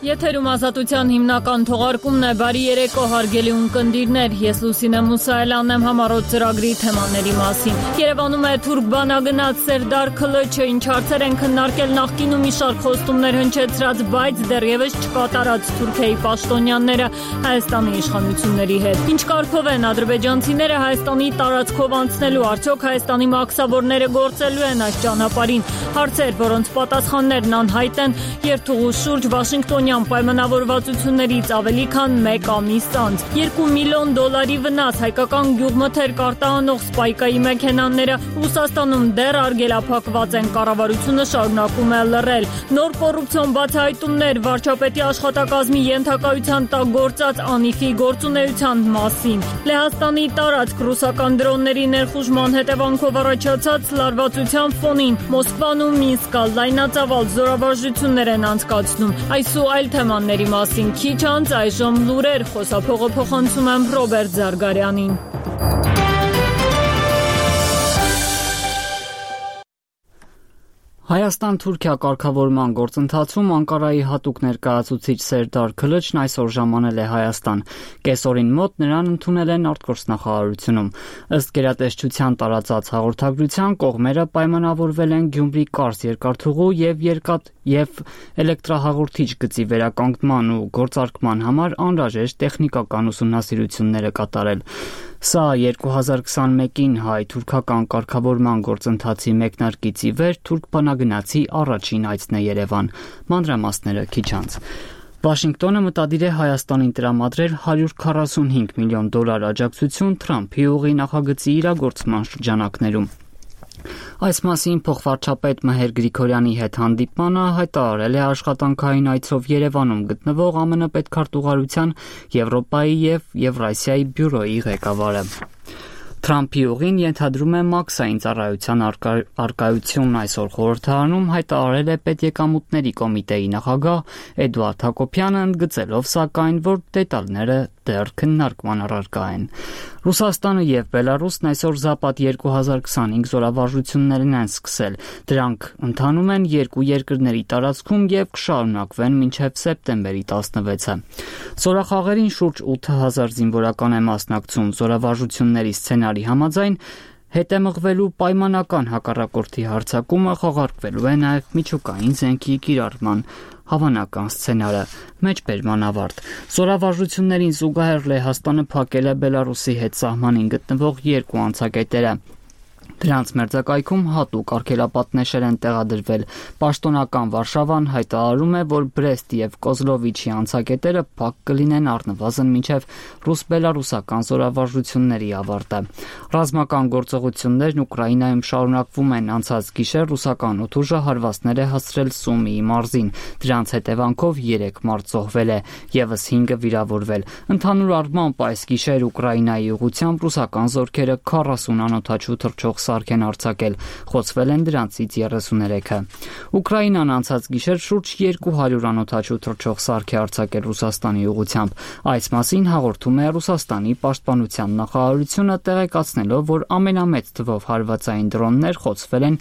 Եթերում ազատության հիմնական թողարկումն է, բարի երեկո հարգելի ունկնդիրներ, ես Լուսինե Մուսայելյանն եմ համառոտ ծրագրի թեմաների մասին։ Երևանում է թուրք բանագնաց Սերդար Քլիչը, ինչ հարցեր են քննարկել նախկինում մի շարք խոստումներ հնչեցրած, բայց դեռևս չկատարած Թուրքիայի պաշտոնյաները Հայաստանի իշխանությունների հետ։ Ինչ կարգով են ադրբեջանցիները Հայաստանի տարածքով անցնելու, արդյոք Հայաստանի մաքսավորները գործելու են այս ճանապարհին։ Հարցեր, որոնց պատասխաններն անհայտ են, երթուղու շուրջ Վաշինգտոնյան պայմանավորվածություններից ավելի քան 1 ամիս անց։ $2 միլիոն վնաս հայկական գյուղմթերք արտահանող Սպայկայի մեքենաները Ռուսաստանում դեռ արգելափակված են, կառավարությունը շարունակում է լռել։ Նոր կոռուպցիոն բացահայտումներ վարչապետի աշխատակազմի ենթակայության տակ գործած Անիֆի գործունեության մասին։ Լեհաստանի տարածք ռուսական դրոնների ներխուժման հետևանքով առաջացած լարվածության ֆոնին Մոսկվան ու Մինսկը լայնածավալ զորավարժություններ են անցկացնում։ Այս ու այլ թեմաների մասին քիչ անց այժմ լուրեր, խոսափողը փոխանցում եմ Ռոբերտ Զարգարյանին։ Հայաստան-Թուրքիա կարգավորման գործընթացում Անկարայի հատուկ ներկայացուցիչ Սերդար Քլիչն այսօր ժամանել է Հայաստան։ Կեսօրին մոտ նրան ընդունել են արտգործնախարարությունում։ Ըստ գերատեսչության տարածած հաղորդագրության կողմերը պայմանավորվել են Գյումրի-Կարս երկաթուղու եւ էլեկտրահաղորդիչ գծի վերականգնման ու գործարկման համար անհրաժեշտ տեխնիկական ուսումնասիրությունները կատարել։ Սա 2021-ին հայ-թուրքական կարգավորման գործընթացի մեկնարկից ի վեր թուրք բանագնացի առաջին այցն է Երևան։ Մանրամասները քիչ անց։ Վաշինգտոնը մտադիր է Հայաստանին տրամադրել $145 միլիոն աջակցություն Թրամփի ուղի նախագծի իրագործման շրջանակներում։ Այս մասին փոխվարչապետ Մհեր Գրիգորյանի հետ հանդիպմանը հայտարարել է աշխատանքային այցով Երևանում գտնվող ԱՄՆ պետքարտուղարության Եվրոպայի եւ Եվրասիայի բյուրոյի ղեկավարը։ Թրամփի ուղին ենթադրում է մաքսային ծառայության արկայություն այսօր խորհրդարանում հայտարարել է պետեկամուտների կոմիտեի նախագահ Էդուարդ Հակոբյանը, ընդգծելով սակայն, որ դետալները դեռ քննարկման առարկա են։ Ռուսաստանը եւ Բելարուսն այսօր Զապադ 2025 զորավարժություններն են սկսել։ Դրանք ընթանում են երկու երկրների տարածքում եւ կշարունակվեն մինչեւ սեպտեմբերի 16-ը։ Զորախաղերին շուրջ 8000 զինվորական է մասնակցում։ Զորավարժությունների սցենարի համաձայն հետեմղվելու պայմանական հակառակորդի հարձակումը խաղարկվելու է նաև միջուկային զենքի կիրառման հավանական սցենարը։ Մեջբերման ավարտ։ Զորավարժություններին զուգահեռ Լեհաստանը փակել է Բելարուսի հետ սահմանին գտնվող երկու անցակետերը։ Դրանց մերձակայքում հատուկ արգելապատնեշեր են տեղադրվել։ Պաշտոնական Վարշավան հայտարարում է, որ Բրեստ եւ Կոզլովիչի անցակետերը փակ կլինեն առնվազն մինչեւ ռուս-բելարուսական զորավարժությունների ավարտը։ Ռազմական գործողություններն Ուկրաինայում շարունակվում են։ Անցած գիշեր ռուսական օդուժը հարվածներ է հասցրել Սումիի մարզին։ Դրանց հետևանքով 3 մարդ զոհվել է, եւս 5-ը վիրավորվել։ Ընդհանուր առմամբ այս գիշեր Ուկրաինայի ուղղությամբ ռուսական զորքերը 40 անօդաչու թռչող սարք են արձակել, խոցվել են դրանցից 33-ը։ Ուկրաինան անցած գիշեր շուրջ 200 անօդաչու թռչող սարք է արձակել Ռուսաստանի ուղղությամբ։ Այս մասին հաղորդում է Ռուսաստանի պաշտպանության նախարարությունը, տեղեկացնելով, որ ամենամեծ թվով հարվածային դրոններ խոցվել են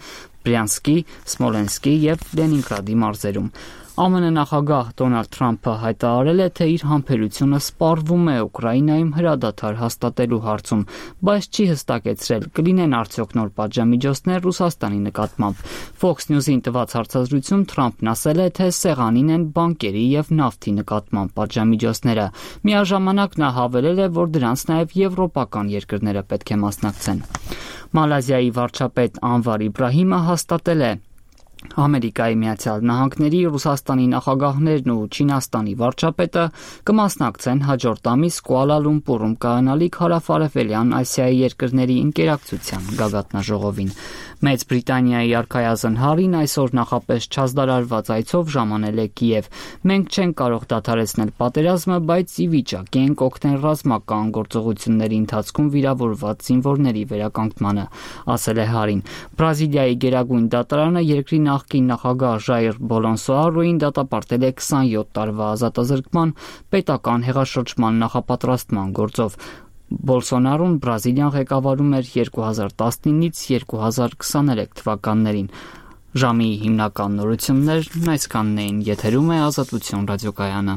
Բրյանսկի, Սմոլենսկի եւ Լենինգրադի մարզերում։ ԱՄՆ նախագահ Դոնալդ Թրամփը հայտարարել է, թե իր համբերությունը սպառվում է Ուկրաինայում հրադադար հաստատելու հարցում, բայց չի հստակեցրել կլինեն արդյոք նոր պատժամիջոցներ Ռուսաստանի նկատմամբ։ Fox News-ին տված հարցազրույցում Թրամփն ասել է, թե սեղանին են բանկերի եւ նավթի նկատմամբ պատժամիջոցները։ Միաժամանակ նա հավելել է, որ դրանց նաեւ եվրոպական երկրները պետք է մասնակցեն։ Մալազիայի վարչապետ Անվար Իբրահիմը հաստատել է Ամերիկայի Միացյալ Նահանգների, Ռուսաստանի նախագահներն ու Չինաստանի վարչապետը կմասնակցեն հաջորդ ամիս Կուալա Լումպուրում կայանալիք Հարավարևելյան Ասիայի երկրների ինտերակցիան գագաթնաժողովին։ Մեծ Բրիտանիայի արքայազն Հարին այսօր նախապես չազդարարված այցով ժամանել է Կիև։ Մենք չենք կարող դադարեցնել պատերազմը, բայց ի վիճակի ենք օգնել ռազմական գործողությունների ընթացքում վիրավորված զինվորների վերականգնմանը, ասել է Հարին։ Բրազիլիայի գերագույն դատարանը երկրի նախկին նախագահ Ժայր Բոլոնսոարոին դատապարտել է 27 տարվա ազատազրկման պետական հեղաշրջման նախապատրաստման գործով։ Բոլսոնարոն Բրազիլիան ղեկավարում էր 2019-ից 2023 թվականներին։ Ժամի հիմնական նորություններն այսքանն էին, եթերում է Ազատություն ռադիոկայանը։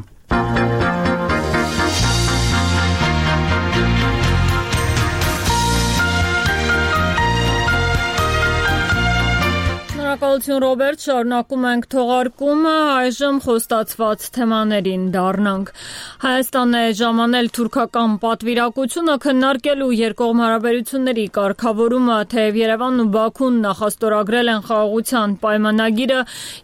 Շնորհակալություն Ռոբերտ, շարունակում ենք թողարկումը, այժմ խոստացված թեմաներին դառնանք։ Հայաստանն է ժամանել թուրքական պատվիրակությունը քննարկելու երկկողմ հարաբերությունների կարգավորումը, թեև Երևանն ու Բաքուն նախաստորագրել են խաղաղության պայմանագիրը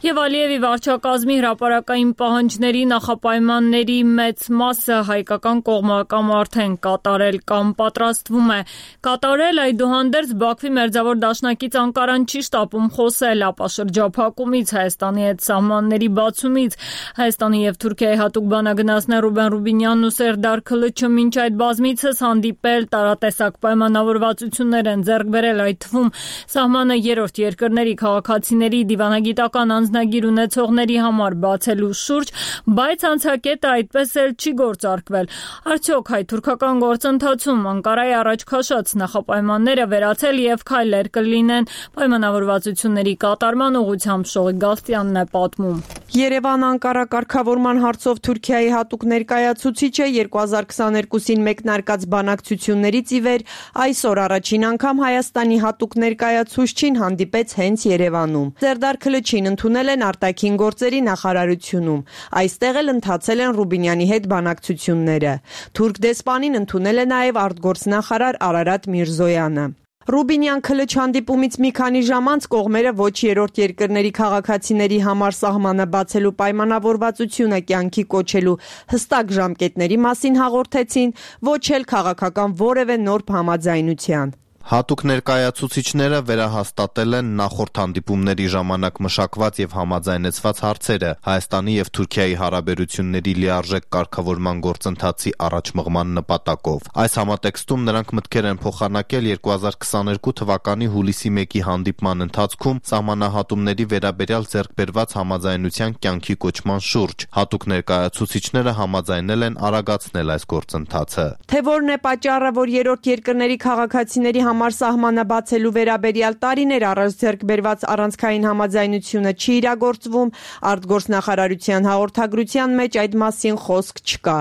եւ Ալիևի վարչակազմի հրապարակային պահանջների նախապայմանների մեծ մասը հայկական կողմը կամ արդեն կատարել կամ պատրաստվում է կատարել, այդուհանդերձ Բաքվի մերձավոր դաշնակից Անկարան չի շտապում խոսել ապա շրջափակումից, Հայաստանի հետ սահմանների բացումից։ Հայաստանի եւ Թուրքիայի հատուկ բանագնացներ Ռուբեն Ռուբինյանն ու Սերդար Քլիչը մինչ այդ բազմիցս հանդիպել, տարատեսակ պայմանավորվածություններ են ձեռք բերել, այդ թվում սահմանը երրորդ երկրների քաղաքացիների դիվանագիտական անձնագիր ունեցողների համար բացելու շուրջ, բայց անցակետը այդպես էլ չի գործարկվել։ Արդյոք հայ-թուրքական գործընթացում Անկարայի առաջ քաշած նախապայմանները վերացել եւ քայլեր կլինեն պայմանավորվածությունների կատարման ուղղությամբ Շողիկ Գալստյանն է պատմում։ Երևան-Անկարա կարգավորման հարցով Թուրքիայի հատուկ ներկայացուցիչը 2022-ին մեկնարկած բանակցություններից ի վեր այսօր առաջին անգամ Հայաստանի հատուկ ներկայացուցչին հանդիպեց հենց Երևանում։ Սերդար Քլիչին ընդունել են արտաքին գործերի նախարարությունում։ Այստեղ էլ ընթացել են Ռուբինյանի հետ բանակցությունները։ Թուրք դեսպանին ընդունել է նաև արտգործնախարար Արարատ Միրզոյանը։ Ռուբինյան-Քլիչ հանդիպումից մի քանի ժամ անց կողմերը ոչ երրորդ երկրների քաղաքացիների համար սահմանը բացելու պայմանավորվածությունը կյանքի կոչելու հստակ ժամկետների մասին հաղորդեցին, ոչ էլ քաղաքական որևէ նոր համաձայնության։ Հատուկ ներկայացուցիչները վերահաստատել են նախորդ հանդիպումների ժամանակ մշակված եւ համաձայնեցված հարցերը Հայաստանի եւ Թուրքիայի հարաբերությունների լիարժեք կարգավորման գործընթացի առաջմղման նպատակով։ Այս համատեքստում նրանք մտքեր են փոխանակել 2022 թվականի հուլիսի 1-ի հանդիպման ընթացքում սահմանահատումների վերաբերյալ ձեռքբերված համաձայնության կյանքի կոչման շուրջ։ Հատուկ ներկայացուցիչները համաձայնել են արագացնել այս գործընթացը։ Թե որն է պատճառը, որ երրորդ երկրների քաղաքացիների համար սահմանը բացելու վերաբերյալ տարիներ առաջ ձեռք բերված առանցքային համաձայնությունը չի իրագործվում, արտգործնախարարության հաղորդագրության մեջ այդ մասին խոսք չկա։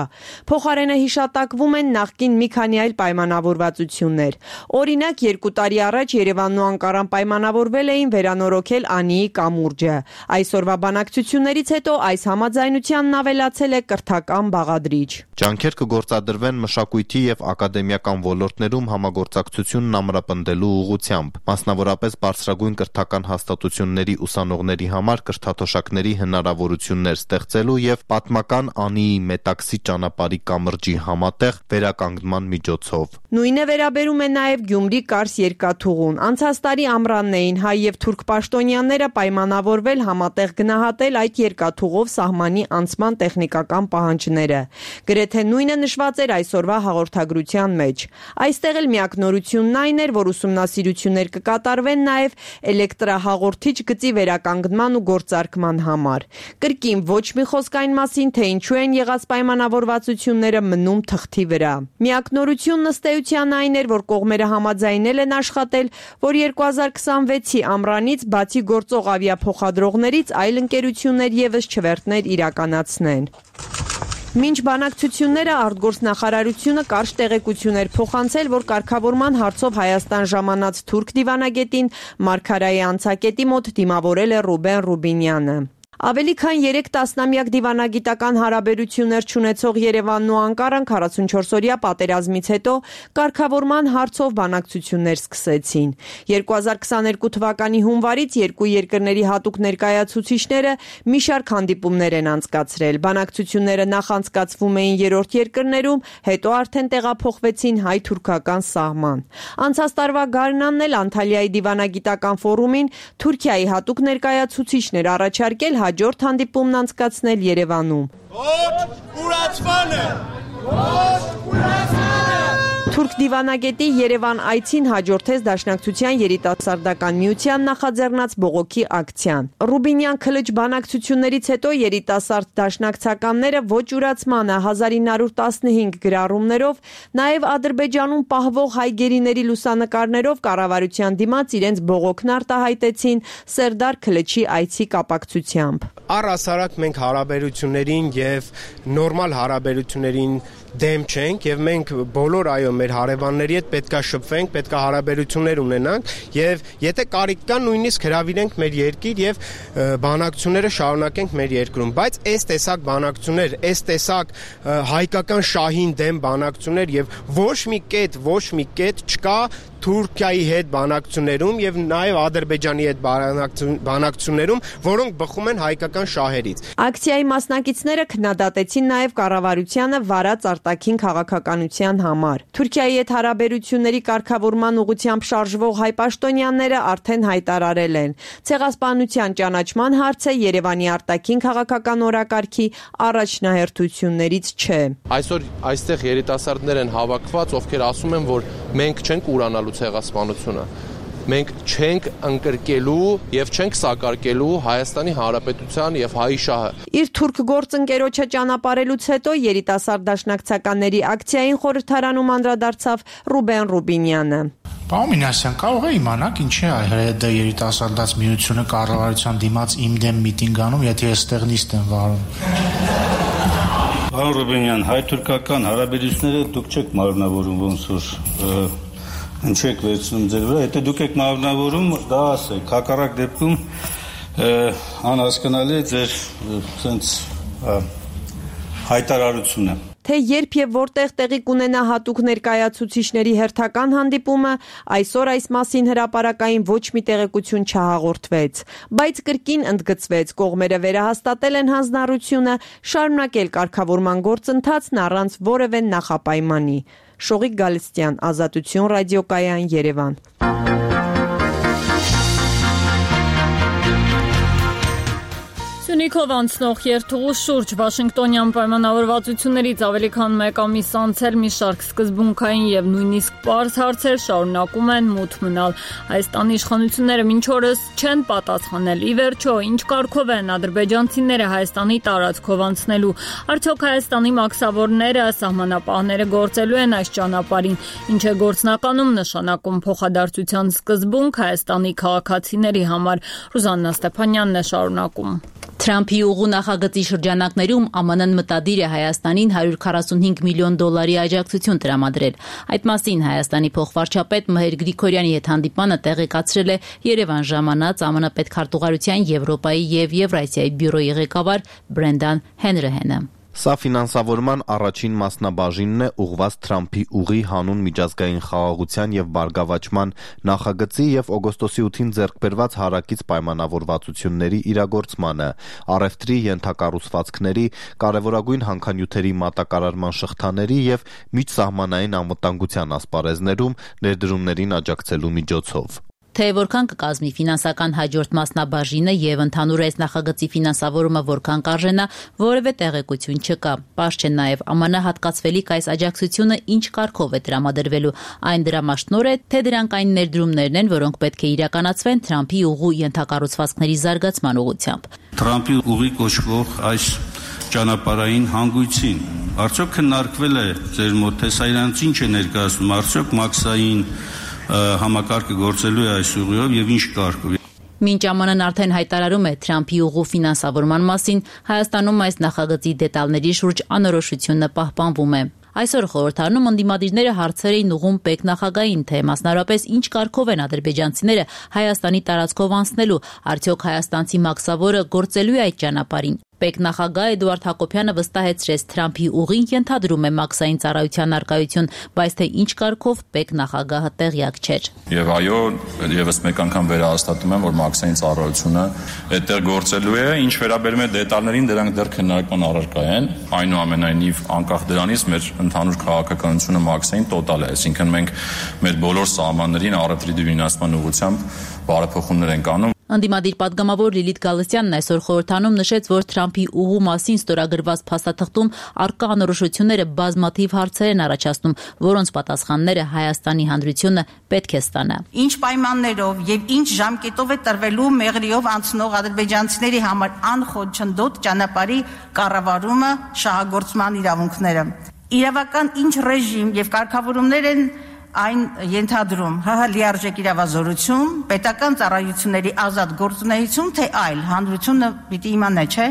Փոխարենը հիշատակվում են նախկին մի քանի այլ պայմանավորվածություններ։ Օրինակ, 2 տարի առաջ Երևանն ու Անկարան պայմանավորվել էին վերանորոգել Անիի կամուրջը։ Այսօրվա բանակցություններից հետո այս համաձայնությանն ավելացել է կրթական բաղադրիչ։ Ջանքեր կգործադրվեն մշակույթի եւ ակադեմիական ոլորտներում համագործակցությունն ամրապնդելու ուղղությամբ, մասնավորապես բարձրագույն կրթական հաստատությունների ուսանողների համար կրթաթոշակների հնարավորություններ ստեղծելու եւ պատմական Անիի Մետաքսի ճանապարհի կամրջի համատեղ վերականգնման միջոցով։ Նույնը վերաբերում է նաեւ Գյումրի-Կարս երկաթուղուն։ Անցած տարի ամռանն էին հայ եւ թուրք պաշտոնյաները պայմանավորվել համատեղ գնահատել այդ երկաթուղով սահմանի անցման տեխնիկական պահանջները։ Գրեթե նույնը նշված էր այսօրվա հաղորդագրության մեջ։ Այստեղ էլ միակ նորությունն այն էր, որ ուսումնասիրություններ կկատարվեն նաև էլեկտրահաղորդիչ գծի վերականգնման ու գործարկման համար։ Կրկին ոչ մի խոսք այն մասին, թե ինչու են եղած պայմանավորվածությունները մնում թղթի վրա։ Միակ նորությունն ըստ էության այն էր, որ կողմերը համաձայնել են աշխատել, որ 2026-ի ամռանից բացի գործող ավիափոխադրողներից այլ ընկերություններ եւս չվերթներ իրականացնեն։ Մինչ բանակցությունները արտգործնախարարությունը կարճ տեղեկություն էր փոխանցել, որ կարգավորման հարցով Հայաստան ժամանած թուրք դիվանագետին Մարգարայի անցակետի մոտ դիմավորել է Ռուբեն Ռուբինյանը։ Ավելի քան 3 տասնամյակ դիվանագիտական հարաբերություններ չունեցող Երևանն ու Անկարան 44-օրյա պատերազմից հետո կարգավորման հարցով բանակցություններ սկսեցին։ 2022 թվականի հունվարից երկու երկրների հատուկ ներկայացուցիչները մի շարք հանդիպումներ են անցկացրել։ Բանակցությունները նախ անցկացվում էին երրորդ երկրներում, հետո արդեն տեղափոխվեցին հայ-թուրքական սահման։ Անցած տարվա գարնանն էլ Անտալիայի դիվանագիտական ֆորումին Թուրքիայի հատուկ ներկայացուցիչներ առաջարկել հաջորդ հանդիպումն անցկացնել Երևանում։ Ոչ կուրացմանը։ Թուրք դիվանագետի Երևան այցին հաջորդեց Դաշնակցության երիտասարդական միության նախաձեռնած բողոքի ակցիան։ Ռուբինյան քլիչ բանակցություններից հետո երիտասարդ դաշնակցականները ոչ ուրացմանը 1915 գրառումներով, նաև Ադրբեջանում պահվող հայ գերիների լուսանկարներով կառավարության դիմաց իրենց բողոքն արտահայտեցին Սերդար Քլիչի այցի կապակցությամբ։ Առհասարակ մենք հարաբերություններին եւ նորմալ հարաբերություններին դեմ չենք եւ մենք բոլոր մեր հարևանների հետ պետքա շփվենք, պետքա հարաբերություններ ունենանք եւ եթե կարիք կա նույնիսկ հրավիրենք մեր երկիր եւ բանակցությունները շարունակենք մեր երկրում, բայց այս տեսակ բանակցություններ, այս տեսակ հայկական շահին դեմ բանակցություններ եւ ոչ մի կետ չկա Թուրքիայի հետ բանակցություններում եւ նաեւ Ադրբեջանի հետ բանակցություններում, որոնք բխում են հայկական շահերից։ Ակցիայի մասնակիցները քննադատեցին նաեւ կառավարությանը վարած արտաքին քաղաքականության համար։ Թուրքիայի հետ հարաբերությունների կարգավորման ուղղությամբ շարժվող հայ պաշտոնյաները արդեն հայտարարել են. ցեղասպանության ճանաչման հարցը Երևանի արտաքին քաղաքական օրակարգի առաջնահերթություններից չէ։ Այսօր այստեղ երիտասարդներ են հավաքված, ովքեր ասում են, որ մենք չենք ուրանալու ցեղասպանությունը։ Մենք չենք ընկրկելու եւ չենք սակարկելու Հայաստանի Հանրապետության եւ հայ շահը։ Իր թուրք գործընկերոջը ճանապարհելուց հետո երիտասարդ դաշնակցականների ակցիային խորհրդարանում անդրադարձավ Ռուբեն Ռուբինյանը։ Պարոն Մինասյան, կարող է իմանալ ինչ է ՀՀԴ երիտասարդաց միությունը կառավարության դիմաց իմ դեմ միտինգ անում, եթե ես ստեղ նիստ եմ վարում։ Պարոն Ռուբինյան, հայ-թուրքական հարաբերությունները դուք չեք մարմնավորում ոնց որ ինչեք վերցնում ձեր վրա, եթե դուք եք մարմնավորում, դա ասեք, հակառակ դեպքում անհասկանալի է ձեր սենց հայտարարությունը։ Թե երբ եւ որտեղ տեղի կունենա հատուկ ներկայացուցիչների հերթական հանդիպումը, այսօր այս մասին հրապարակային ոչ մի տեղեկություն չհաղորդվեց, բայց կրկին ընդգծվեց կողմերը վերահաստատել են հանձնառությունը շարունակել կարգավորման գործընթացն առանց որևէ նախապայմանի։ Շողիկ Գալստյան, Ազատություն ռադիոկայան, Երևան։ Սյունիքով անցնող երթուղու շուրջ Վաշինգտոնյան պայմանավորվածություններից ավելի քան մեկ ամիս անցել մի շարք սկզբունքային եւ նույնիսկ պարզ հարցեր շարունակում են մութ մնալ։ Հայաստանի իշխանությունները մինչ օրս չեն պատասխանել։ Ի վերջո, ինչ կարգով են ադրբեջանցիները Հայաստանի տարածքով անցնելու։ Արդյոք Հայաստանի մաքսավորները, սահմանապահները գործելու են այս ճանապարհին, ինչ է գործնականում նշանակում փոխադարձության սկզբունք Հայաստանի քաղաքացիների համար։ Ռուզաննա Ստեփանյանն է շարունակում։ Թրամփի ուղու նախագծի շրջանակներում ԱՄՆ-ն մտադիր է Հայաստանին $145 միլիոն աջակցություն տրամադրել։ Այդ մասին Հայաստանի փոխվարչապետ Մհեր Գրիգորյանի հետ հանդիպանը տեղեկացրել է Երևան ժամանած ԱՄՆ պետքարտուղարության Եվրոպայի եւ Եվրասիայի բյուրոյի ղեկավար Բրենդան Հենրիհենը։ Սա ֆինանսավորման առաջին մասնաբաժինն է ուղղված Թրամփի ուղի հանուն միջազգային խաղաղության եւ բարգավաճման նախագծի եւ օգոստոսի 8-ին ձեռք բերված հարակից պայմանավորվածությունների իրագործմանը, առևտրի ենթակառուցվածքների, կարևորագույն հանքանյութերի մատակարարման շղթաների եւ միջսահմանային անվտանգության ասպարեզներում ներդրումներին աջակցելու միջոցով։ Թե որքան կկազմի ֆինանսական հաջորդ մասնաբաժինը եւ ընդհանուր այս նախագծի ֆինանսավորումը որքան կարժենա, որևէ տեղեկություն չկա։ Պարզ չէ նաեւ ԱՄՆ հատկացվելիք այս աջակցությունը ինչ կարգով է տրամադրվելու։ Այն դրամաշնոր է, թե դրանք այն ներդրումներն են, որոնք պետք է իրականացվեն Թրամփի ուղու ենթակառուցվածքների զարգացման ուղղությամբ։ Թրամփի ուղի կոչվող այս ճանապարհային հանգույցին արդյոք քննարկվել է ձեր մոտ, թե սա իրանց ինչ է ներկայացնում, արդյոք մաքսային համակարգը գործելու է այս ուղիով եւ ինչ կարգով։ Մինչ ԱՄՆ-ն արդեն հայտարարում է Թրամփի ուղու ֆինանսավորման մասին, Հայաստանում այս նախագծի դետալների շուրջ անորոշությունը պահպանվում է։ Այսօր խորհրդարանում ընդդիմադիրները հարցեր էին ուղղում պետ նախագահին, թե մասնարարապես ինչ կարգով են ադրբեջանցիները Հայաստանի տարածքով անցնելու, արդյոք հայաստանցի մաքսավորը գործելու է այդ ճանապարհին։ Պետ նախագահ Էդուարդ Հակոբյանը վստահեցրեց Թրամփի ուղին ենթադրում է մաքսային ծառայության արկայություն, բայց թե ինչ կարգով պետ նախագահը տեղյակ չէր։ Եվ այո, եւս մեկ անգամ վերահաստատում եմ, որ մաքսային ծառայությունը այդտեղ գործելու է, ինչ վերաբերում է դետալներին, դրանք դեռ քննարկման առարկա են, այնուամենայնիվ անկախ դրանից մեր ընդհանուր քաղաքականությունը մաքսային տոտալ է, այսինքն մենք մեր բոլոր սահմաններին առևտրի դյուրինացման ուղղությամբ բարեփոխումներ ենք անում։ Ընդդիմադիր պատգամավոր Լիլիթ Գալստյանն այսօր խորհրդանում նշեց, որ Թրամփի ուղու մասին ստորագրված փաստաթղթում առկա անորոշությունները բազմաթիվ հարցեր են առաջացնում, որոնց պատասխանները Հայաստանի հանրությունը պետք է ստանա։ Ինչ պայմաններով եւ ինչ ժամկետով է տրվելու մեղրիով անցնող ադրբեջանցիների համար անխոչնդոտ ճանապարհի կառավարումը, շահագործման իրավունքները։ Իրավական ինչ ռեժիմ եւ կարգավորումներ են այն ենթադրում ՀՀ լիարժեք իրավազորություն, պետական ծառայությունների ազատ գործունեություն, թե այլ հանրությունը պիտի իմանա, չէ՞։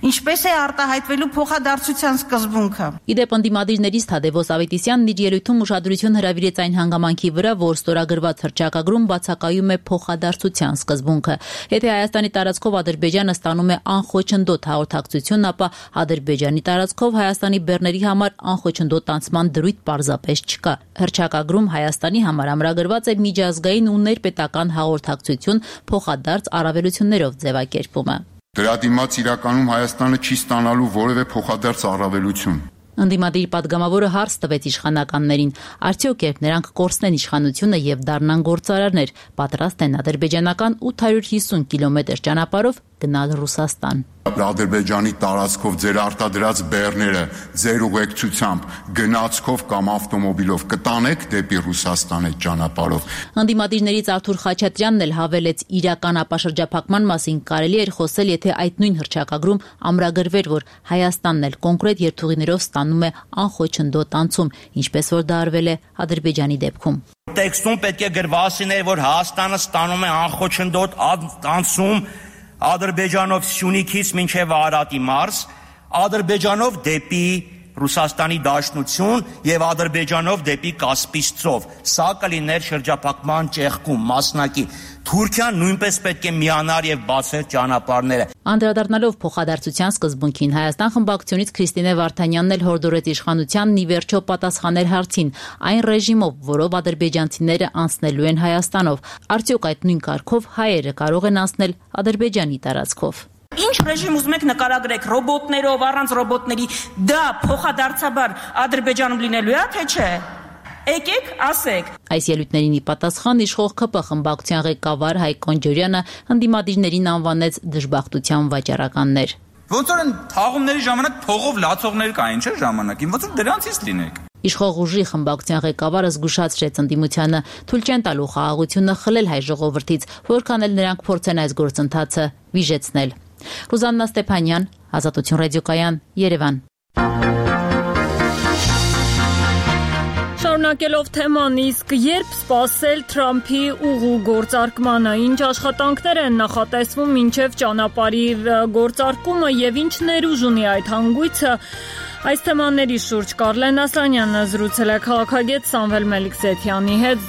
Ինչպես է արտահայտվելու փոխադարձության սկզբունքը։ Իդեպ ընդդիմադիրներից Թադևոս Ավետիսյանն իր ելույթում ուշադրություն հրավիրեց այն հանգամանքի վրա, որ ստորագրված հռչակագրում բացակայում է փոխադարձության սկզբունքը։ Եթե Հայաստանի տարածքով Ադրբեջանը ստանում է անխոչնդոտ հաղորդակցություն, ապա Ադրբեջանի տարածքով Հայաստանի բեռների համար անխոչնդոտ անցման դրույթ պարզապես չկա։ Հռչակագրում Հայաստանի համար ամրագրված է միջազգային ու ներպետական հաղորդակցություն փոխադարձ առավելություններով ձևակերպումը։ Դրա դիմաց իրականում Հայաստանը չի ստանալու որևէ փոխադարձ առավելություն։ Ընդդիմադիր պատգամավորը հարց տվեց իշխանականներին, արդյոք երբ նրանք կորցնեն իշխանությունը եւ դառնան գործարարներ, պատրաստ են ադրբեջանական 850 կիլոմետր ճանապարհով գնալ Ռուսաստան։ Ադրբեջանի տարածքով ձեր արտադրած բեռները ձեր ուղեկցությամբ գնացքով կամ ավտոմոբիլով կտանեք դեպի Ռուսաստան այդ ճանապարհով։ Ընդդիմադիրներից Արթուր Խաչատրյանն էլ հավելեց, իրական ապաշրջափակման մասին կարելի էր խոսել, եթե այդ նույն հռչակագրում ամրագրվեր, որ Հայաստանն էլ կոնկրետ երթուղիներով ստանում է անխոչնդոտ անցում, ինչպես որ դա արվել է Ադրբեջանի դեպքում։ Տեքստում պետք է գրված լիներ, որ Հայաստանը ստանում է անխոչնդոտ անցում Ադրբեջանով Սյունիքից մինչև Արարատի մարզ, Ադրբեջանով դեպի Ռուսաստանի Դաշնություն եւ Ադրբեջանով դեպի Կասպից ծով։ Սա կլիներ շրջափակման ճեղքում մասնակի։ Թուրքիան նույնպես պետք է միանար եւ բացեր ճանապարհները։ Անդրադառնալով փոխադարձության սկզբունքին, Հայաստան խմբակցությունից Քրիստինե Վարդանյանն էլ հորդորեց իշխանությանն ի վերջո պատասխանել հարցին, այն ռեժիմով, որով ադրբեջանցիները անցնելու են Հայաստանով, արդյոք այդ նույն կարգով հայերը կարող են անցնել Ադրբեջանի տարածքով։ Ինչ ռեժիմ ուզում եք նկարագրեք, ռոբոտներով, առանց ռոբոտների, դա փոխադարձաբար Ադրբեջանում լինելու է, թե չէ։ Եկեք, ասեք։ Այս ելույթներին ի պատասխան իշխող ԿՊ խմբակցության ղեկավար Հայկ Կոնջորյանը ընդդիմադիրներին անվանեց դժբախտության վաճառականներ։ Ոնց որ թաղումների ժամանակ փողով լացողներ կային, չէ՞ ժամանակին, ոնց որ դրանցից լինեք։ Իշխող ուժի խմբակցության ղեկավարը զգուշացրեց ընդդիմությանը, թույլ չեն տալու խաղաղությունը խլել հայ ժողովրդից, որքան էլ նրանք փորձեն այս գործընթացը վիժեցնել։ Ռուզաննա Ստեփանյան, Ազատություն ռադիոկայան, Երևան։ Շարունակելով թեման, իսկ երբ սպասել Թրամփի ուղու գործարկմանը, ինչ աշխատանքներ են նախատեսվում մինչև ճանապարհի գործարկումը եւ ինչ ներուժ ունի այդ հանգույցը, այս թեմաների շուրջ Կարլեն Ասլանյանը զրուցել է քաղաքագետ Սամվել Մելիքսեթյանի հետ,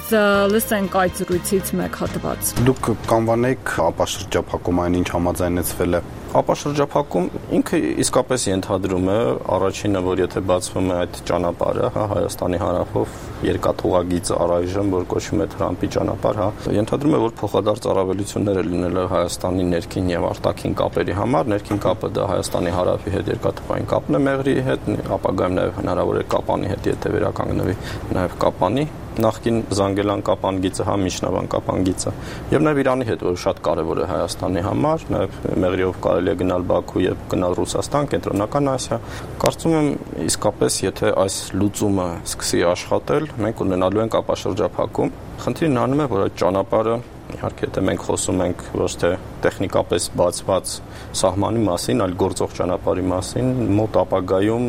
լսենք այդ զրույցից մեկ հատված։ Դուք կանվանեք ապաշրջափակում այն ինչ համաձայնեցվել է։ Ապաշրջափակում ինքը իսկապես ենթադրում է առաջինը, որ եթե բացվում է այդ ճանապարհը, Հայաստանի հարավով երկաթուղագիծ առայժմ, որ կոչվում է Թրամփի ճանապարհ, ենթադրում է, որ փոխադարձ առավելություններ լինել է Հայաստանի ներքին եւ արտաքին կապերի համար, ներքին կապը դա Հայաստանի հարավի հետ երկաթուղային կապն է Մեղրիի հետ, ապագայում նաեւ հնարավոր է Կապանի հետ, եթե վերականգնվի նաեւ Կապանի նախկին Զանգելան կապանգիծը, Միջնավան կապանգիծը եւ նաեւ Իրանի հետ, որ շատ կարեւոր է Հայաստանի համար, նաեւ Մեղրիով կարելի է գնալ Բաքու եւ գնալ Ռուսաստան, Կենտրոնական Ասիա։ Կարծում եմ իսկապես, եթե այս լուծումը սկսի աշխատել, մենք ունենալու ենք ապաշրջափակում։ Խնդիրն անում է, որ այդ ճանապարհը իհարկե եթե մենք խոսում ենք ոչ թե տեխնիկապես բացված սահմանի մասին, այլ գործող ճանապարհի մասին, մոտ ապագայում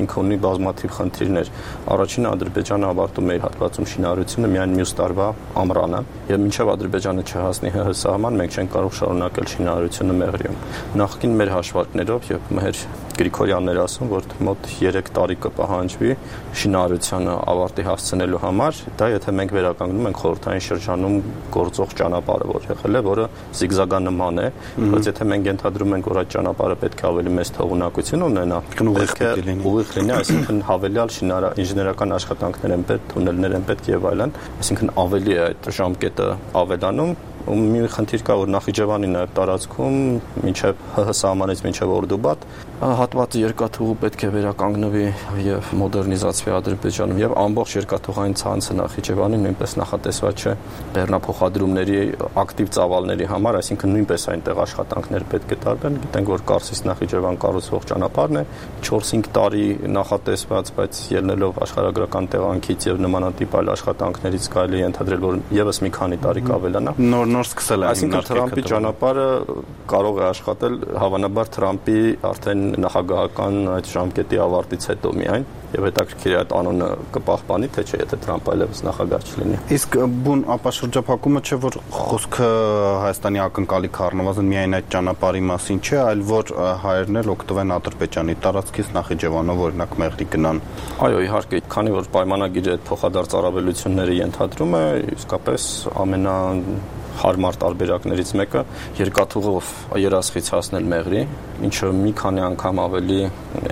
ինքը ունի բազմաթիվ խնդիրներ։ Առաջինը Ադրբեջանը ավարտում է իր հատվածում շինարարությունը միայն մյուս տարվա ամռանը, եւ մինչեւ Ադրբեջանը չհասնի ՀՀ սահման, մենք չենք կարող շարունակել շինարարությունը Մեղրիում։ Նախկին մեր հաշվարկներով եւ մեր Գրիգորյանն էր ասում, որ մոտ 3 տարի կպահանջվի շինարարությանը ավարտի հասցնելու համար, դա եթե մենք վերականգնում ենք խորհրդային շրջանում գործող ճանապարհը, որ եղել է, որը զիգզագանման է, բայց եթե մենք ենթադրում ենք, որ այդ ճանապարհը պետք է ավելի մեծ թողունակություն ունենա, ուղիղ լինի, այսինքն հավելյալ ինժեներական աշխատանքներ են պետք, թունելներ են պետք եւ այլն, այսինքն ավելի է այդ ժամկետը ավելանում։ Ու մի խնդիր կա, որ Նախիջևանի նաև տարածքում մինչև ՀՀ սահմանից մինչև Օրդուբադ Հատվածը երկաթուղու պետք է վերականգնվի եւ մոդեռնիզացվի Ադրբեջանում եւ ամբողջ երկաթուղային ցանցը Նախիջևանի նույնպես նախատեսված չէ բեռնափոխադրումների ակտիվ ծավալների համար, այսինքն նույնպես այնտեղ աշխատանքներ պետք է տարվեն։ Գիտենք, որ Կարսիս Նախիջևան կառուցվող ճանապարհն է 4-5 տարի նախատեսված, բայց ելնելով աշխարհագրական տեղանքից եւ նմանատիպ այլ աշխատանքներից կարելի է ենթադրել, որ եւս մի քանի տարի կավելանա։ Նոր սկսել է։ Այսինքն Թրամփի ճանապարհը կարող է աշխատել հավանաբար Թրամփի արդեն նախագահական այդ ժամկետի ավարտից հետո միայն եւ հետաքրքիր է այդ անոնը կպահպանի թե չէ, եթե Թրամփը այլևս նախագահ չլինի։ Իսկ բուն ապաշրջափակումը չէ, որ խոսքը Հայաստանի ակնկալիք առնվազն միայն այդ ճանապարհի մասին չէ, այլ որ հայերն էլ օգտվեն Ադրբեջանի տարածքից Նախիջևանով օրինակ մեղրի գնան։ Այո, իհարկե, քանի որ պայմանագիրը այդ փոխադարձ առավելությունները ենթադրում է, իսկապես հարմար տարբերակներից մեկը երկաթուղով երասխից հասնել մեղրի, ինչը մի քանի անգամ ավելի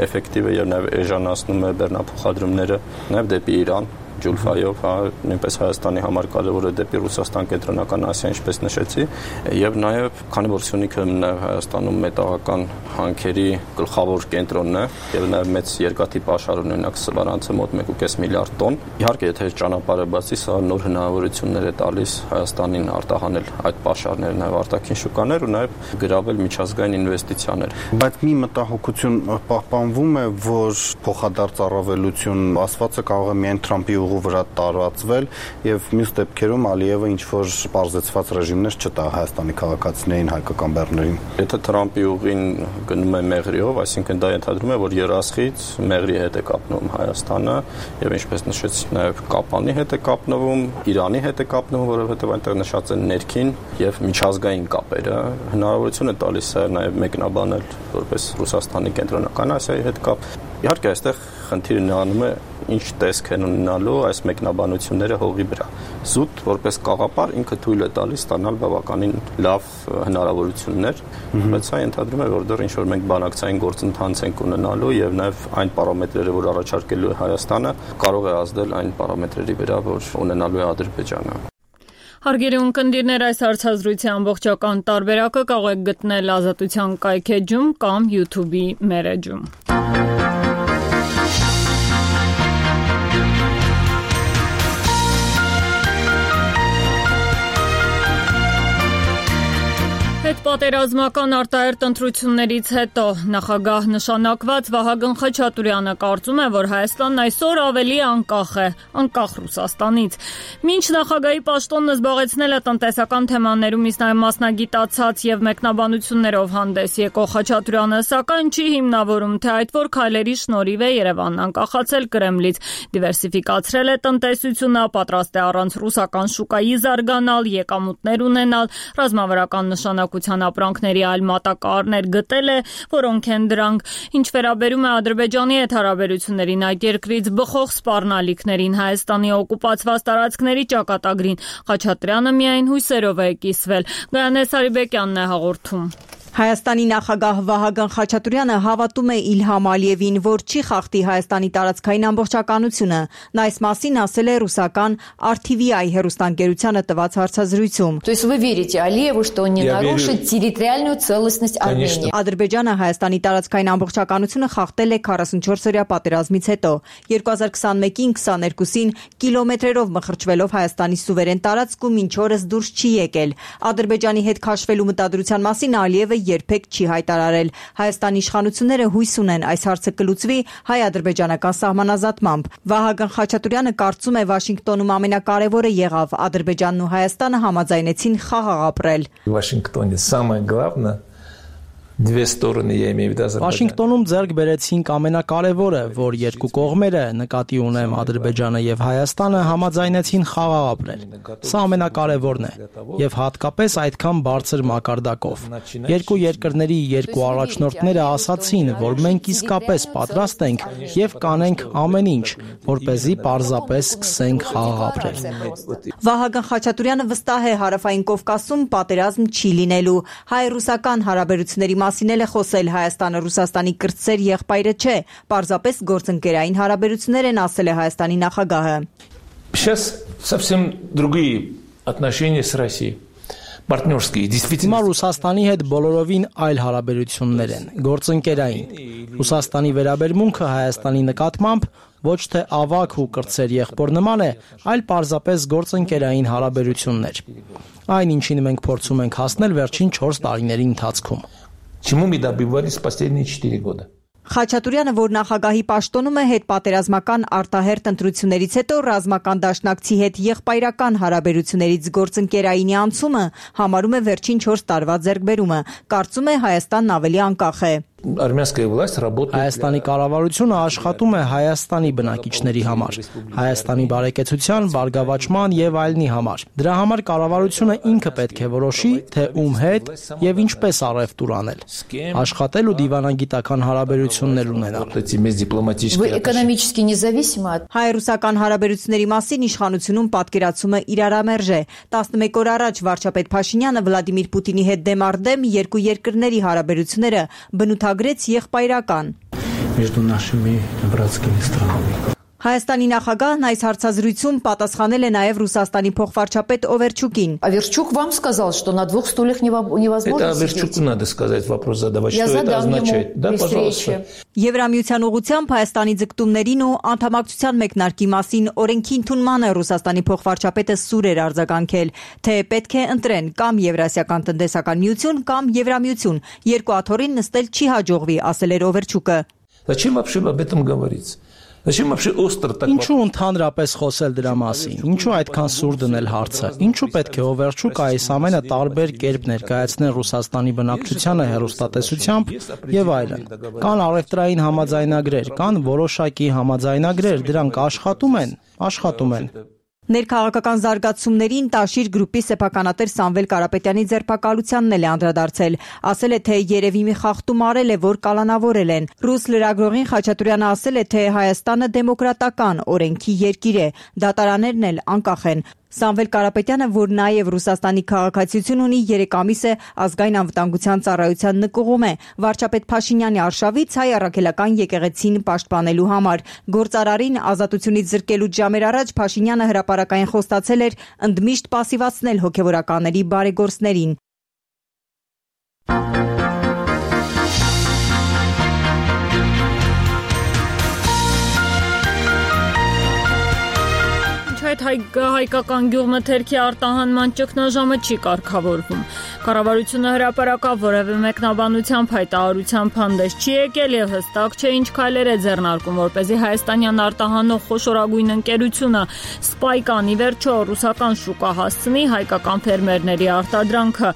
էֆեկտիվ է եւ նաեւ էժանացնում է բեռնափոխադրումները նաեւ դեպի Իրան ջուլֆայով, նույնպես Հայաստանի համար կարևոր է դեպի Ռուսաստան, Կենտրոնական Ասիա, ինչպես նշեցի, եւ նաեւ քանի որ Սյունիքը նաեւ Հայաստանում մետաղական հանքերի գլխավոր կենտրոնն է եւ նաեւ մեծ երկաթի պաշար ունենակ սվարանցը մոտ 1.5 միլիարդ տոն։ Իհարկե, եթե ճանապարհը բացի, սա նոր հնարավորություններ է տալիս Հայաստանին արտահանել այդ պաշարները նաեւ արտաքին շուկաներ ու նաեւ գրավել միջազգային ինվեստիցիաներ։ Բայց մի մտահոգություն պահպանվում է, որ փոխադարձ առավելություն ասվածը կարող է միայն Թրամփի վրա տարածվել եւ մյուս դեպքերում Ալիևը ինչ որ պարզեցված ռեժիմներ չտա Հայաստանի քաղաքացիներին, հայկական բեռներին։ Եթե Թրամփի ուղին գնում է մեղրիով, այսինքն դա ենթադրում է, որ երասխից մեղրի հետ է կապնվում Հայաստանը եւ ինչպես նշեցի նաեւ Կապանի հետ է կապնվում, Իրանի հետ է կապնվում, որովհետեւ այնտեղ նշած են ներքին եւ միջազգային կապերը։ Հնարավորություն է տալիս նաեւ մեկնաբանել որպես Ռուսաստանի Կենտրոնական Ասիայի հետ կապ։ Իհարկե, այստեղ խնդիրը նրանում է ինչ տեսք են ունենալու այս մեկնաբանությունները հողի վրա։ Զուտ որպես կաղապար ինքը թույլ է տալիս ստանալ բավականին լավ հնարավորություններ, բայց սա ենթադրում է, որ դեռ ինչ որ մենք բանակցային գործընթաց ենք ունենալու եւ նաեւ այն պարամետրերը, որ առաջարկելու է Հայաստանը, կարող է ազդել այն պարամետրերի վրա, որ ունենալու է Ադրբեջանը։ Հարգելի ունկնդիրներ, այս հարցազրույցի ամբողջական տարբերակը կարող եք գտնել Ազատության կայքեջում կամ YouTube-ի մեր էջում։ Հետպատերազմական արտահերթ ընտրություններից հետո նախագահ նշանակված Վահագն Խաչատուրյանը կարծում է, որ Հայաստանն այսօր ավելի անկախ է, անկախ Ռուսաստանից։ Մինչ նախագահի պաշտոնը զբաղեցնելը տնտեսական թեմաներում իսկ նաև մասնագիտացած եւ մեկնաբանություններով հանդես եկող Խաչատուրյանը սակայն չի հիմնավորում, թե այդ որ քայլերի շնորհիվ է Երևանն անկախացել Կրեմլից, դիվերսիֆիկացրել է տնտեսությունը, պատրաստ է առանց ռուսական շուկայի զարգանալ, եկամուտներ ունենալ, ռազմավարական նշանակության ապրանքների այլ մատակարարներ գտել է, որոնք են դրանք, ինչ վերաբերում է Ադրբեջանի հետ հարաբերություններին, այդ երկրից բխող սպառնալիքներին, Հայաստանի օկուպացված տարածքների ճակատագրին, Խաչատրյանը միայն հույսերով է կիսվել։ Գայանե Սարիբեկյանն է հաղորդում։ Հայաստանի նախագահ Վահագն Խաչատուրյանը հավատում է Իլհամ Ալիևին, որ չի խախտի Հայաստանի տարածքային ամբողջականությունը։ Նա այս մասին ասել է ռուսական RTVI հեռուստաընկերությանը տված հարցազրույցում։ То есть вы верите Алиеву, что он не нарушит территориальную целостность Армении? Ադրբեջանը Հայաստանի տարածքային ամբողջականությունը խախտել է 44-օրյա պատերազմից հետո։ 2021-ին 22-ին կիլոմետրերով մխրճվելով Հայաստանի սուվերեն տարածք ու մինչ օրս դուրս չի եկել։ Ադրբեջանի հետ քաշվելու մտադրության մասին Ալիևը երբեք չի հայտարարել։ Հայաստանի իշխանությունները հույս ունեն այս հարցը կլուծվի հայ-ադրբեջանական սահմանազատմամբ։ Վահագն Խաչատուրյանը կարծում է Վաշինգտոնում ամենակարևորը եղավ Ադրբեջանն ու Հայաստանը համաձայնեցին խաղաղ ապրել։ Վաշինգտոնի самое главное Две стороны, я имею в виду Азербайджан. Վաշինգտոնում ձեռք բերեցինք ամենակարևորը, որ երկու կողմերը, նկատի ունեմ Ադրբեջանը եւ Հայաստանը, համաձայնեցին խաղաղ ապրել։ Սա ամենակարևորն է եւ հատկապես այդքան բարձր մակարդակով։ Երկու երկրների երկու առաջնորդները ասացին, որ մենք իսկապես պատրաստ ենք եւ կանենք ամեն ինչ, որ เป զի պարզապես սկսենք խաղաղ ապրել։ Վահագն Խաչատուրյանը վստահ է Հարավային Կովկասում պատերազմ չի լինելու։ Հայ-ռուսական հարաբերությունների մասին էլ է խոսել Հայաստանը Ռուսաստանի կրտսեր եղբայրը չէ, պարզապես գործընկերային հարաբերություններ են ասել է Հայաստանի նախագահը։ Сейчас совсем другие отношения с Россией. Հիմա Ռուսաստանի հետ բոլորովին այլ հարաբերություններ են, գործընկերային։ Ռուսաստանի վերաբերմունքը Հայաստանի նկատմամբ ոչ թե ավագ ու կրտսեր եղբոր նման է, այլ պարզապես գործընկերային հարաբերություններ։ Այն ինչին մենք փորձում ենք հասնել վերջին 4 տարիների ընթացքում։ Чему мы добивались последние 4 года? Խաչատուրյանը, որ նախագահի պաշտոնում է հետպատերազմական արտահերթ ընտրություններից հետո ռազմական դաշնակցի հետ եղբայրական հարաբերություններից գործընկերայինի անցումը համարում է վերջին 4 տարվա ձեռքբերումը, կարծում է Հայաստանն ավելի անկախ է։ Հայաստանի կառավարությունը աշխատում է Հայաստանի բնակիչների համար, Հայաստանի բարեկեցության, բարգավաճման եւ այլնի համար։ Դրա համար կառավարությունը ինքը պետք է որոշի, թե ում հետ եւ ինչպես առևտուր անել, աշխատել ու դիվանագիտական հարաբերություններ ունենալ։ Հայ-ռուսական հարաբերությունների մասին իշխանությունում պատկերացումը իրարամերժ է։ 11 օր առաջ վարչապետ Փաշինյանը Վլադիմիր Պուտինի հետ դեմ առ դեմ երկու երկրների հարաբերությունները բնութագրեց եղբայրական։ Հայաստանի նախագահն այս հարցազրույցում պատասխանել է նաև Ռուսաստանի փոխվարչապետ Օվերչուկին։ Аверчук вам сказал, что на 2 стульях невозможно Это Аверчуку надо сказать, вопрос задавать, что это означает. Да, пожалуйста. Եվրամիության ուղղությամբ Հայաստանի ձգտումներին ու անդամակցության մեկնարկի մասին օրենքի ընդունմանը Ռուսաստանի փոխվարչապետը սուր էր արձագանքել, թե պետք է ընտրեն կամ Եվրասիական տնտեսական միություն կամ Եվրամիություն։ Երկու աթոռին նստել չի հաջողվի, ասել էր Օվերչուկը։ Зачем вообще об этом говорить? Ինչու ընդհանրապես խոսել դրա մասին, ինչու այդքան սուր դնել հարցը, ինչու պետք է Օվերչուկը այս ամենը տարբեր կերպ ներկայացնել Ռուսաստանի բնակչությանը հեռուստատեսությամբ եւ այլն։ Կան առևտրային համաձայնագրեր, կան որոշակի համաձայնագրեր, դրանք աշխատում են։ Ներքաղաքական զարգացումներին Տաշիր գրուպի սեփականատեր Սամվել Կարապետյանի ձերբակալությանն էլ է անդրադարձել, ասել է, թե երևի մի խախտում արել է, որ կալանավորել են։ Ռուս լրագրողին Խաչատուրյանը ասել է, թե Հայաստանը դեմոկրատական օրենքի երկիր է, դատարաններն էլ անկախ են։ Սամվել Կարապետյանը, որ նաև Ռուսաստանի քաղաքացիություն ունի, 3 ամիս է ազգային անվտանգության ծառայության նկուղում է, վարչապետ Փաշինյանի արշավից հայ առաքելական եկեղեցին պաշտպանելու համար։ Գործարարին ազատությունից զրկելուց ժամեր առաջ Փաշինյանը հրապարակային խոստացել էր ընդմիշտ պասիվացնել հոգևորականների բարեգործներին։ Այդ հայկական գյուղմթերքի արտահանման ճգնաժամը չի կարգավորվում։ Կառավարությունը հրապարակավ որևէ մեկնաբանությամբ հայտարարությամբ հանդես չի եկել եւ հստակ չէ ինչ քայլեր է ձեռնարկում, որպեսզի հայաստանյան արտահանող խոշորագույն ընկերությունը Սպայկանի վերջո ռուսական շուկա հասցնի հայկական ֆերմերների արտադրանքը։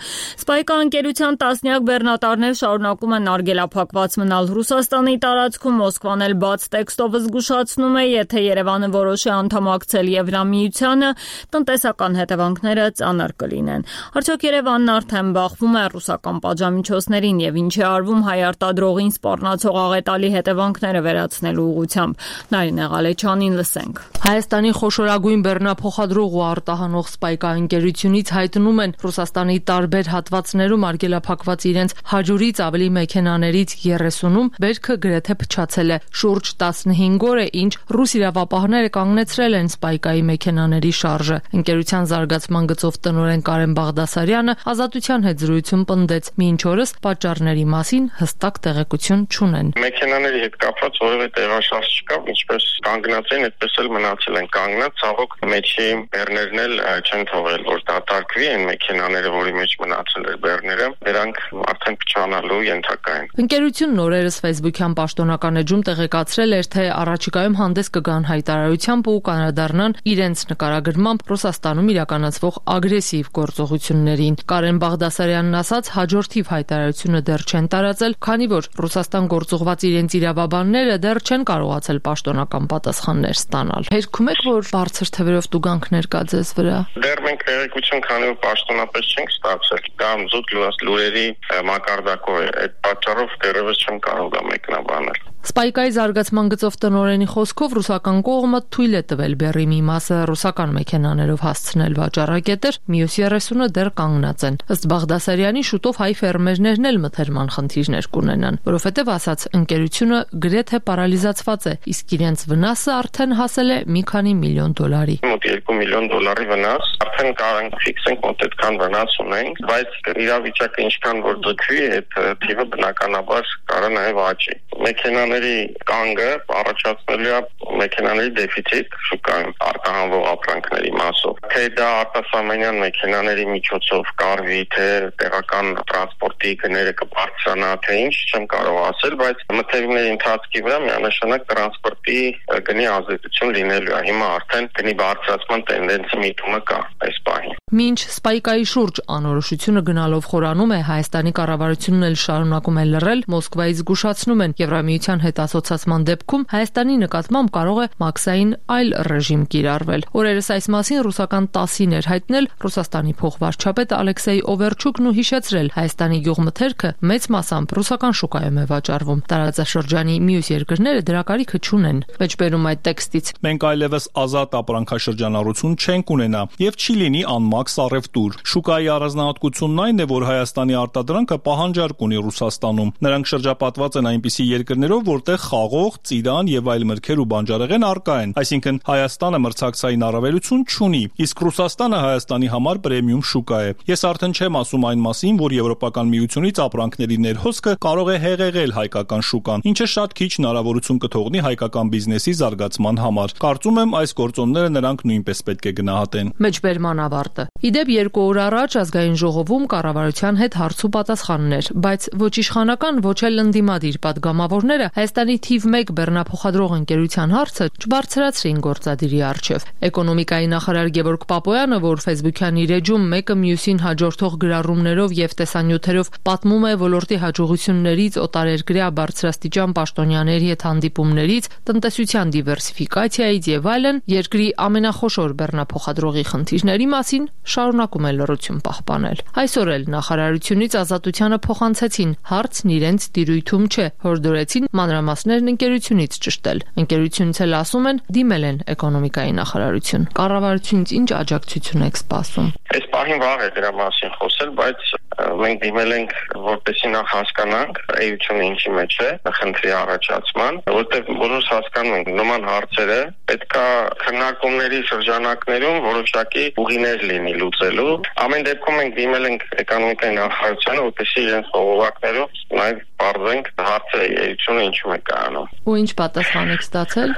Սպայկա ընկերության տասնյակ բեռնատարներ շարունակում են արգելափակված մնալ Ռուսաստանի տարածքում, Մոսկվան էլ բաց տեքստով զգուշացնում է, եթե Երևանը որոշի անդամակցել Եվրամիությանը, տնտեսական հետևանքները ծանր կլինեն։ Արդյոք Երևանն արդեն բախվում է ռուսական պատժամիջոցներին եւ ինչ է արվում հայ արտադրողին սպառնացող աղետալի հետևանքները վերացնելու ուղղությամբ։ Նարինե Ղալեչյանին լսենք։ Հայաստանի խոշորագույն բեռնափոխադրող ու արտահանող Սպայկա ընկերությունից հայտնում են Ռուսաստանի տարբեր հատվածներում արգելափակված իրենց 100-ից ավելի մեքենաներից 30-ում բերքը գրեթե փչացել է։ Շուրջ 15 օր է, ինչ ռուս իրավապահները կանգնեցրել են Սպայկայի մեքենաների շարժը։ Ընկերության զարգացման գծով տնօրեն Կարեն Բաղդասարյանը ազատության հետ զրույցում պնդեց, մինչ օրս պատճառների մասին հստակ տեղեկություն չունեն։ Մեքենաների հետ կապված որևէ տեղաշարժ չկա, ինչպես կանգնած են, այդպես էլ մնացել են կանգնած, ցավոք մեջի բեռներն էլ չեն թողել, որ դատարկվի այն մեքենաները, որի մեջ մնացել էր բեռները, դրանք արդեն փչանալու ենթակա են։ Ընկերությունն օրերս Facebook-յան պաշտոնական էջում տեղեկացրել էր, թե առաջիկայում հանդես կգան հայտարարությամբ ու կանրադառնան իրենց նկարագրմամբ Ռուսաստանում իրականացվող ագրեսիվ գործողություններին։ Կարեն Բաղդասարյանն ասաց, հաջորդիվ հայտարարությունը դեռ չեն տարածել, քանի որ Ռուսաստան գործուղված իրենց իրավաբանները դեռ չեն կարողացել պաշտոնական պատասխաններ ստանալ։ Հերքում եք, որ բարձր թվերով տուգանքներ կա ձեզ վրա։ Դեռ մենք տեղեկություն, քանի որ պաշտոնապես չենք ստացել, կամ զուտ լուրերի մակարդակով է։ Այդ պատճառով դեռևս չեմ կարող դա մեկնաբանել։ Սպայկայի զարգացման գծով տնօրենի խոսքով ռուսական կողմը թույլ է տվել բեռի մի մասը ռուսական մեքենաներով հասցնել վաճառակետեր, մյուս 30-ը դեռ կանգնած են։ Ըստ Բաղդասարյանի, շուտով հայ ֆերմերներն էլ մթերման խնդիրներ կունենան, որովհետև ասաց, ընկերությունը գրեթե պարալիզացված է, իսկ իրենց վնասը արդեն հասել է մի քանի միլիոն դոլարի։ Մոտ 2 միլիոն դոլարի վնաս, արդեն կարող ենք ֆիքսենք, մոտ այդքան վնաս ունենք, բայց իրավիճակը ինչքան որ ձգվի, այդ թիվը բնականաբար կարող նաև աճի։ Մեքենաների կանգը առաջացնելու է մեքենաների դեֆիցիտ շուկայում արտահանվող ապրանքների մասով։ Թե դա արտասահմանյան մեքենաների միջոցով կարվի, թե տեղական տրանսպորտի գները կբարձրանա, թե ինչ, չեմ կարող ասել, բայց մթերումների ընթացքի վրա միանշանակ տրանսպորտի գնի ազդեցություն լինելու է։ Հիմա արդեն գնի բարձրացման տենդենսի միտումը կա այս պահին։ Մինչ Սպայկայի շուրջ անորոշությունը գնալով խորանում է, Հայաստանի կառավարությունն էլ շարունակում է լռել, Մոսկվայից զգուշացնում են Եվրամիության հետ ասոցացման դեպքում Հայաստանի նկատմամբ կարող է մաքսային այլ ռեժիմ կիրառվել։ Օրերս այս մասին ռուսական ՏԱՍՍ-ին էր հայտնել Ռուսաստանի փոխվարչապետ Ալեքսեյ Օվերչուկն ու հիշեցրել Հայաստանի գյուղմթերքը մեծ մասամբ ռուսական շուկայում է վաճառվում։ Տարածաշրջանի մյուս երկրները դրա կարիքը չունեն։ Մեջբերում այդ տեքստից։ Մենք այլևս ազատ ապրանքաշրջանառություն չենք ունենա եւ չի լինի անմաքս առևտուր։ Շուկայի առանձնահատկությունն այն է, որ Հայաստանի արտադրանքը պահանջարկ ունի Ռուսաստանում։ Նրանք շրջապատված են այնպիսի երկրներով, որտեղ խաղող, ծիրան եւ այլ մրգեր ու բանջարեղեն առկա են։ Այսինքն Հայաստանը մրցակցային առավելություն չունի, իսկ Ռուսաստանը Հայաստանի համար պրեմիում շուկա է։ Ես արդեն չեմ ասում այն մասին, որ Եվրոպական միությունից ապրանքների ներհոսքը կարող է հեղեղել հայկական շուկան, ինչը շատ քիչ հնարավորություն կթողնի հայկական բիզնեսի զարգացման համար։ Կարծում եմ այս գործոնները նրանք նույնպես պետք է գնահատեն։ Մեջբերման ավարտը։ Իդեպ 2 օր առաջ ազգային ժողովում կառավարության հետ հարցու պատասխաններ, բայց ոչ իշխանական, ոչ էլ ընդդիմադիր պատգամավորները Հայաստանի թիվ 1 բեռնափոխադրող ընկերության հարցը չբարձրացրին գործադիրի առջև։ Էկոնոմիկայի նախարար Գևորգ Պապոյանը, որ Facebook-յան իր էջում մեկը մյուսին հաջորդող գրառումներով եւ տեսանյութերով պատմում է ոլորտի հաջողություններից, օտարերկրյա բարձրաստիճան պաշտոնյաների հետ հանդիպումներից, տնտեսության դիվերսիֆիկացիայից եւ այլն, երկրի ամենախոշոր բեռնափոխադրողի խնդիրների մասին շարունակում է լռություն պահպանել։ Այսօր էլ նախարարությունից ազատությանը փոխանցեցին, հարցն իրենց տիրույթում չէ, հորդորեցին մանրամասներն ընկերությունից ճշտել։ Ընկերությունից էլ ասում են, դիմել են էկոնոմիկայի նախարարություն։ Կառավարությունից ինչ աջակցություն եք սպասում։ Այս պահին վաղ է դրա մասին խոսել, բայց մենք դիմել ենք, որպեսզի նախ հասկանանք էությունը ինչի մեջ է, խնդրի առաջացման, որտեղ բոլորս հասկանում ենք նման հարցերը պետքա քննարկումների շրջանակներում որոշակի ուղիներ լինի լուծելու։ Ամեն դեպքում մենք դիմել ենք էկոնոմիկայի նախարարությանը, որպեսզի իրենց խորհուրդներով նաև բարձենք հարցը էությունը ինչու է կայանում։ Ու ինչ պատասխան եք ստացել։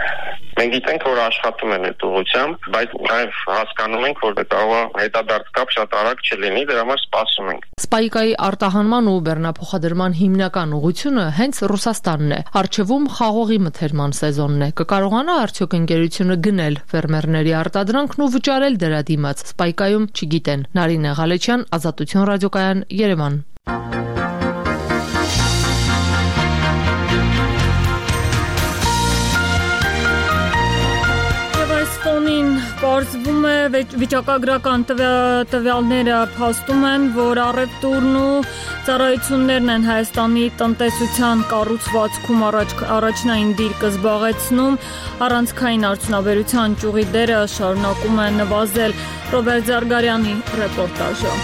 Մենք գիտենք, որ աշխատում են այդ ուղղությամբ, բայց նաև հասկանում ենք, որ կարող է հետադարձ կապ շատ արագ չլինի, դրա համար սպասում ենք։ Սպայկայի արտահանման ու բեռնափոխադրման հիմնական ուղղությունը հենց Ռուսաստանն է։ Առջևում խաղողի մթերման սեզոնն է։ Կկարողանա արդյոք ընկերությունը գնել ֆերմերների արտադրանքն ու վճարել դրա դիմաց։ Սպայկայում չգիտեն։ Նարինե Ղալեչյան, Ազատություն ռադիոկայան, Երևան։ Պարզվում է վիճակագրական տվյալները փաստում են, որ առևտուրն ու ծառայություններն են Հայաստանի տնտեսության կառուցվածքում առաջնային դիրքը զբաղեցնում, առանցքային արդյունաբերության ճյուղի դերը շարունակում է նվազել։ Ռոբերտ Զարգարյանի ռեպորտաժը։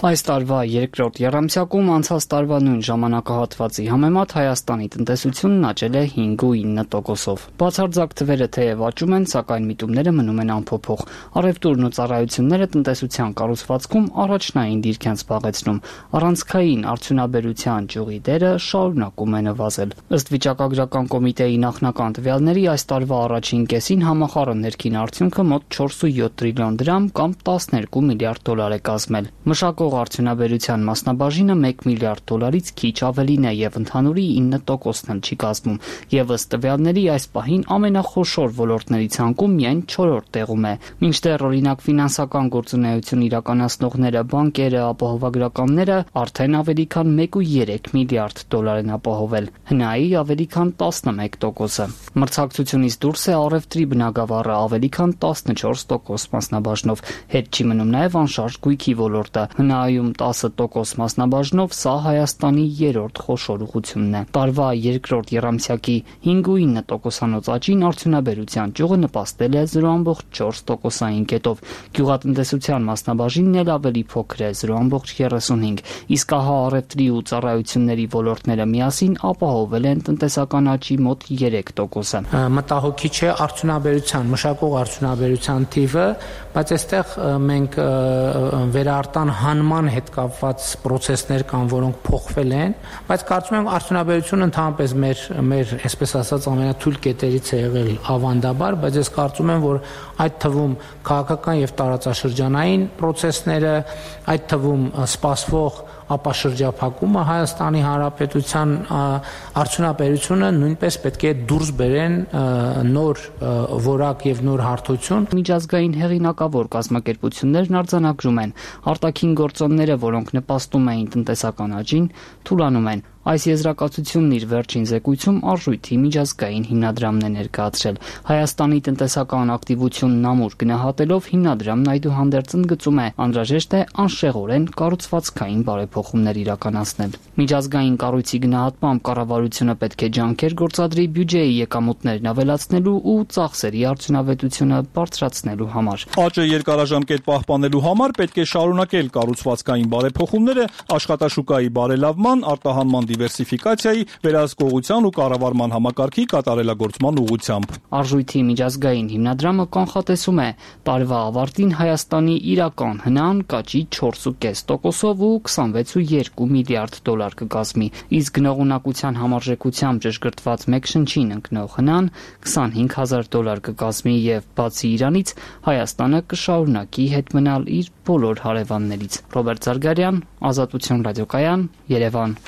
Այս տարվա երկրորդ եռամսյակում անցած տարվա նույն ժամանակահատվածի համեմատ Հայաստանի տնտեսությունն աճել է 5.9%-ով։ Բացարձակ թվերը թեև աճում են, սակայն միտումները մնում են անփոփոխ։ Առևտուրն ու ծառայությունները տնտեսության կառուցվածքում առաջնային դիրք են զբաղեցնում։ Առանցքային արդյունաբերության ճյուղի դերը շարունակում է նվազել։ Ըստ վիճակագրական կոմիտեի նախնական տվյալների այս տարվա առաջին կեսին համախառն ներքին արդյունքը մոտ 4.7 տրիլիոն դրամ կամ 12 միլիարդ դոլար է կազմել։ Մշակող արդյունաբերության մասնաբաժինը 1 միլիարդ դոլարից քիչ ավելին է եւ ընդհանուրի 9%-ն էլ չի կազմում։ Եվ ըստ տվյալների այս պահին ամենախոշոր ոլորտների ցանկում միայն 4-րդ տեղում է։ Մինչդեռ օրինակ ֆինանսական գործունեություն իրականացնողները, բանկերը, ապահովագրականները արդեն ավելի քան 1.3 միլիարդ դոլար են ապահովել։ ՀՆԱ-ի ավելի քան 11%-ը։ Մրցակցությունից դուրս է առևտրի բնագավառը ավելի քան 14% մասնաբաժնով։ Հետ չի մնում նաեւ անշարժ գույքի ոլորտը։ ՀՆԱ ՆԱԱ-ում 10% մասնաբաժնով սա Հայաստանի երրորդ խոշոր ուղղությունն է։ Տարվա երկրորդ եռամսյակի 5.9%-անոց աճին արդյունաբերության ճյուղը նպաստել է 0.4%-ային կետով։ Գյուղատնտեսության մասնաբաժինն էլ ավելի փոքր է 0.35, իսկ ահա առևտրի ու ծառայությունների ոլորտները միասին ապահովել են տնտեսական աճի մոտ 3%-ը։ Մտահոգիչ է արդյունաբերության, մշակող արդյունաբերության թիվը, բայց այստեղ մենք վերարտահանման հետ կապված process-ներ կան, որոնք փոխվել են, բայց կարծում եմ արդյունաբերությունը ընդհանրապես մեր այսպես ասած ամենաթույլ կետերից է եղել ավանդաբար, բայց ես կարծում եմ, որ այդ թվում քաղաքական եւ տարածաշրջանային process-ները, այդ թվում սպասվող ապաշրջափակումը Հայաստանի Հանրապետության արդյունաբերությունը նույնպես պետք է դուրս բերեն նոր որակ եւ նոր հարթություն։ Միջազգային հեղինակավոր կազմակերպություններն արձանագրում են, արտաքին գործոնները, որոնք նպաստում էին տնտեսական աճին, թուլանում են։ Այս եզրակացությունն իր վերջին զեկույցում արժույթի միջազգային հիմնադրամն է ներկայացրել։ Հայաստանի տնտեսական ակտիվությունն ամուր գնահատելով հիմնադրամն այդուհանդերձ ընդգծում է, անհրաժեշտ է անշեղորեն կառուցվածքային բարեփոխումներ իրականացնել։ Միջազգային կառույցի գնահատմամբ կառավարությունը պետք է ջանքեր գործադրի բյուջեի եկամուտներն ավելացնելու ու ծախսերի արդյունավետությունը բարձրացնելու համար։ Աճը երկարաժամկետ պահպանելու համար պետք է շարունակել կառուցվածքային բարեփոխումները աշխատաշուկայի բարելավման, արտահանման դիվերսիֆիկացիայի, վերահսկողության ու կառավարման համակարգի կատարելագործման ուղղությամբ։ Արժույթի միջազգային հիմնադրամը կանխատեսում է տարվա ավարտին Հայաստանի իրական հնան կաճի 4.5%-ով ու 26.2 միլիարդ դոլար կկազմի, իսկ գնողունակության համարժեքությամբ ճշգրտված մեկ շնչին ընկնող հնան 25,000 դոլար կկազմի եւ բացի իրանից Հայաստանը կշարունակի հետ մնալ իր բոլոր հարևաններից։ Ռոբերտ Զարգարյան, Ազատություն ռադիոկայան, Երևան։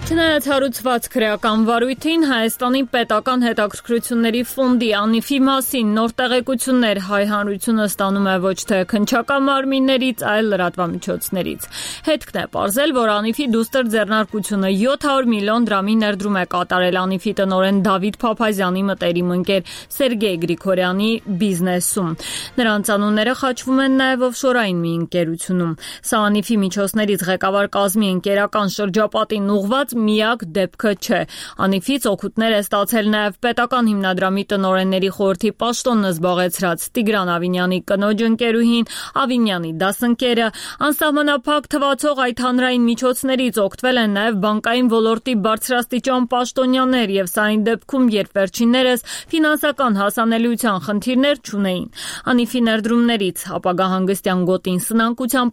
Չնայած հարուցված քրեական վարույթին, Հայաստանի պետական հետաքրքրությունների ֆոնդի անիվի մասին նոր տեղեկություններ հայ հանրությունը ստանում է ոչ թե քննչական մարմիններից, այլ լրատվամիջոցներից։ Հետքն է պարզել, որ անիվի դուստր ձեռնարկությունը 700 միլիոն դրամի ներդրում է կատարել անիվի տնօրեն Դավիթ Փափազյանի մտերիմ ընկեր Սերգեյ Գրիգորյանի բիզնեսում։ Նրանց անունները խաչվում են նաև օֆշորային մի ընկերությունում։ Սա անիվի միջոցներից ղեկավար կազմի ընկերական շրջապատին ուղղված միակ դեպքը չէ։ Անիվից օգուտներ է ստացել նաև պետական հիմնադրամի տնօրենների խորհրդի պաշտոնը զբաղեցրած Տիգրան Ավինյանի կնոջ ընկերուհին, Ավինյանի դասընկերը, անսահմանափակ թվացող այդ հանրային միջոցներից օգտվել են նաև բանկային ոլորտի բարձրաստիճան պաշտոնյաներ եւ սա այն դեպքում, երբ վերջիններս ֆինանսական հասանելիության խնդիրներ չունեին։ Անիվի ներդրումներից ապագա հանգստյան գոտին սնանկության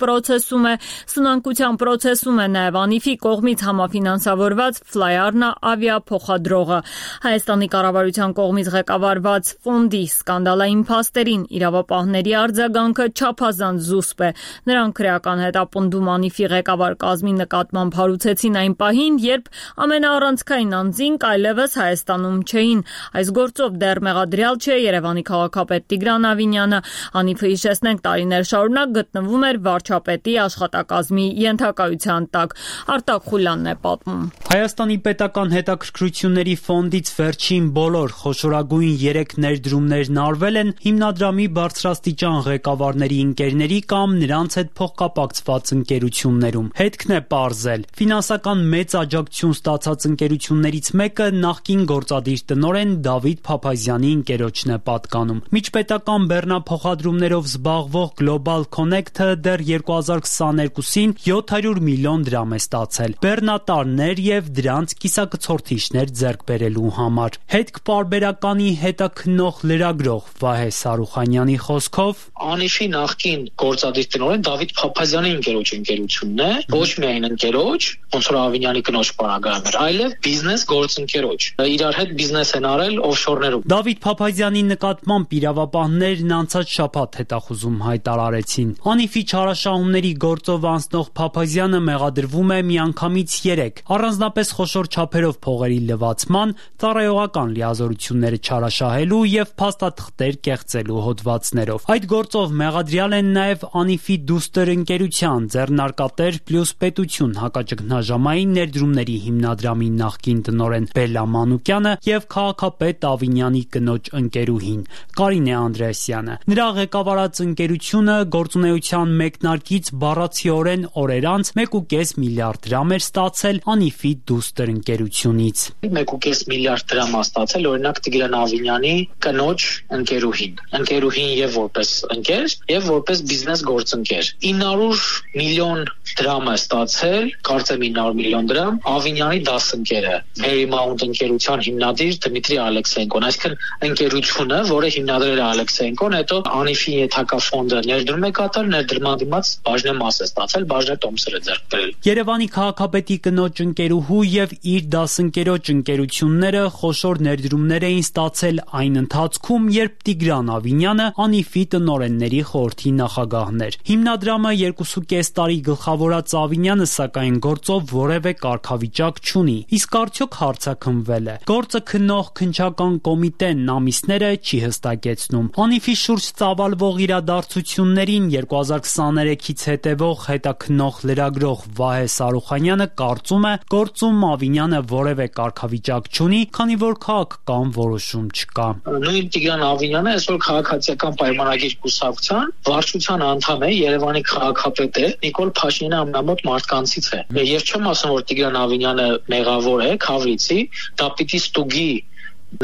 պրոցեսում է նաև անիվի կողմից համաֆինանսավորված Ֆլայարնա ավիափոխադրողը։ Հայաստանի կառավարության կողմից ղեկավարված ֆոնդի սկանդալային փաստերին իրավապահների արձագանքը չափազանց զուսպ է։ Նրանք քրեական հետապնդում անիվի ղեկավար կազմի նկատմամբ հարուցեցին այն պահին, երբ ամենաառանցքային անձինք այլևս Հայաստանում չէին։ Այս գործով դեռ մեղադրյալ չէ Երևանի քաղաքապետ Տիգրան Ավինյանը։ Անիվը, հիշեցնենք, տարիներ շարունակ գտնվում էր վարչապետի աշխատակազմի ենթակայության տակ։ Արտակ Խուլյանն է պատմում։ Հայաստանի պետական հետաքրքրությունների ֆոնդից վերջին բոլոր խոշորագույն 3 ներդրումներն արվել են հիմնադրամի բարձրաստիճան ղեկավարների ընկերների կամ նրանց հետ փոխկապակցված ընկերություններում։ Հետքն է պարզել։ Ֆինանսական մեծ աջակցություն ստացած ընկերություններից մեկը նախկին գործադիր տնօրեն Դավիթ Փափազյանի ընկերոջն է պատկանում։ Միջպետական բեռնափոխադրումներով զբաղվող Global Connect-ը դեռ 2022-ին 700 միլիոն դրամ է ստացել բեռնատարներ եւ դրանց կիսակցորդիչներ ձեռք բերելու համար։ Հետք պարբերականի հետաքննող լրագրող Վահե Սարուխանյանի խոսքով Անիվի նախկին գործադիր տնօրեն Դավիթ Փափազյանի ընկերությունն է, ոչ միայն ընկերոջ, ոնց որ Ավինյանի կնոջ պարագայում էր, այլև բիզնես գործընկերոջ։ Իրար հետ բիզնես են արել օֆշորներում։ Դավիթ Փափազյանի նկատմամբ իրավապահներն անցած շաբաթ հետախուզում հայտարարեցին։ Անիվի չարաշահումների գործով անցնող Փափազյանը մեղադրվում է միանգամից 3 առանձնապես խոշոր չափերով փողերի լվացման, ծառայողական լիազորությունները չարաշահելու եւ փաստաթղթեր կեղծելու հոդվածներով։ Այդ գործով մեղադրյալ են նաեւ Անիֆի Դուստր ընկերության ձեռնարկատեր պլյուս պետություն հակաճգնաժամային ներդրումների հիմնադրամի նախկին տնօրեն Բելլա Մանուկյանը եւ քաղաքապետ Ավինյանի կնոջ ընկերուհին Կարինե Անդրեասյանը։ Նրա ղեկավարած ընկերությունը գործունեության մեկնարկից բառացիորեն օրեր անց 1.5 միլիարդ դրամ էր ստացել Անիֆի Դուստր ընկերությունից։ 1.5 միլիարդ դրամ է ստացել օրինակ Տիգրան Ավինյանի կնոջ ընկերուհին եւ որպես ընկեր եւ որպես բիզնես գործընկեր 900 միլիոն դրամ է ստացել, կարծեմ 900 միլիոն դրամ Ավինյանի դասընկերը Paramount ընկերության հիմնադիր Դմիտրի Ալեքսեյենկոն, այսինքն ընկերությունը, որը հիմնադրել է Ալեքսեյենկոն, հետո Անիֆի ենթակա ֆոնդը ներդրում է կատարել, ներդրման դիմաց բաժնե մաս է ստացել, բաժնե տոմսեր է ձեռք բերել։ Երևանի քաղաքապետի կնոջ ընկերուհու եւ իր դասընկերոջ ընկերությունները խոշոր ներդրումներ էին ստացել այն ընթացքում, երբ Տիգրան Ավինյանը Անիֆի տնօրենների խորհրդի նախագահն էր։ Հիմնադրամը 2.5 տարի գլխավորած Ավինյանը սակայն գործով որևէ կարգավիճակ չունի։ Իսկ արդյոք հարցաքննվել է։ Գործը քննող քննչական կոմիտեն ամիսները չի հստակեցնում։ Անիֆի շուրջ ծավալվող իրադարձություններին 2023-ից հետևող հետաքննող լրագրող Վահե Սարուխանյանը կարծում է, գործում Ավինյանը որևէ կարգավիճակ չունի, քանի որ քաղաքական որոշում չկա։ Նույն Տիգրան Ավինյանը այսօր քաղաքացիական պայմանագիր կուսակցության վարչության անդամ է, Երևանի քաղաքապետ է, Նիկոլ Փաշինյանը ամենամոտ մարդկանցից է։ Եվ չեմ ասում, որ Տիգրան Ավինյանը մեղավոր է, քավրիցի, դա պիտի ստուգի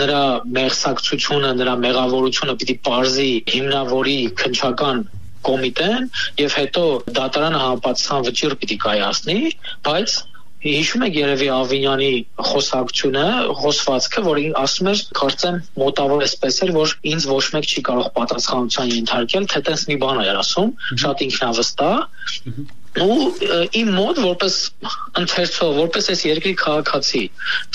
նրա մեղսակցությունը, նրա մեղավորությունը պիտի պարզի հիմնավորի քննչական կոմիտեն եւ հետո դատարանը համապատասխան վճիռ պիտի կայացնի, բայց հիշում եք երևի Ավինյանի խոսակցությունը, խոսվածքը, որին ասում էր, կարծեմ մոտավոր էսպես էր, որ ինձ ոչ մեկ չի կարող պատասխանության ենթարկել, թե տես մի բան էր ասում, շատ ինքնավստահ ու իմ մոտ որպես ընթերցող, որպես այս երկրի քաղաքացի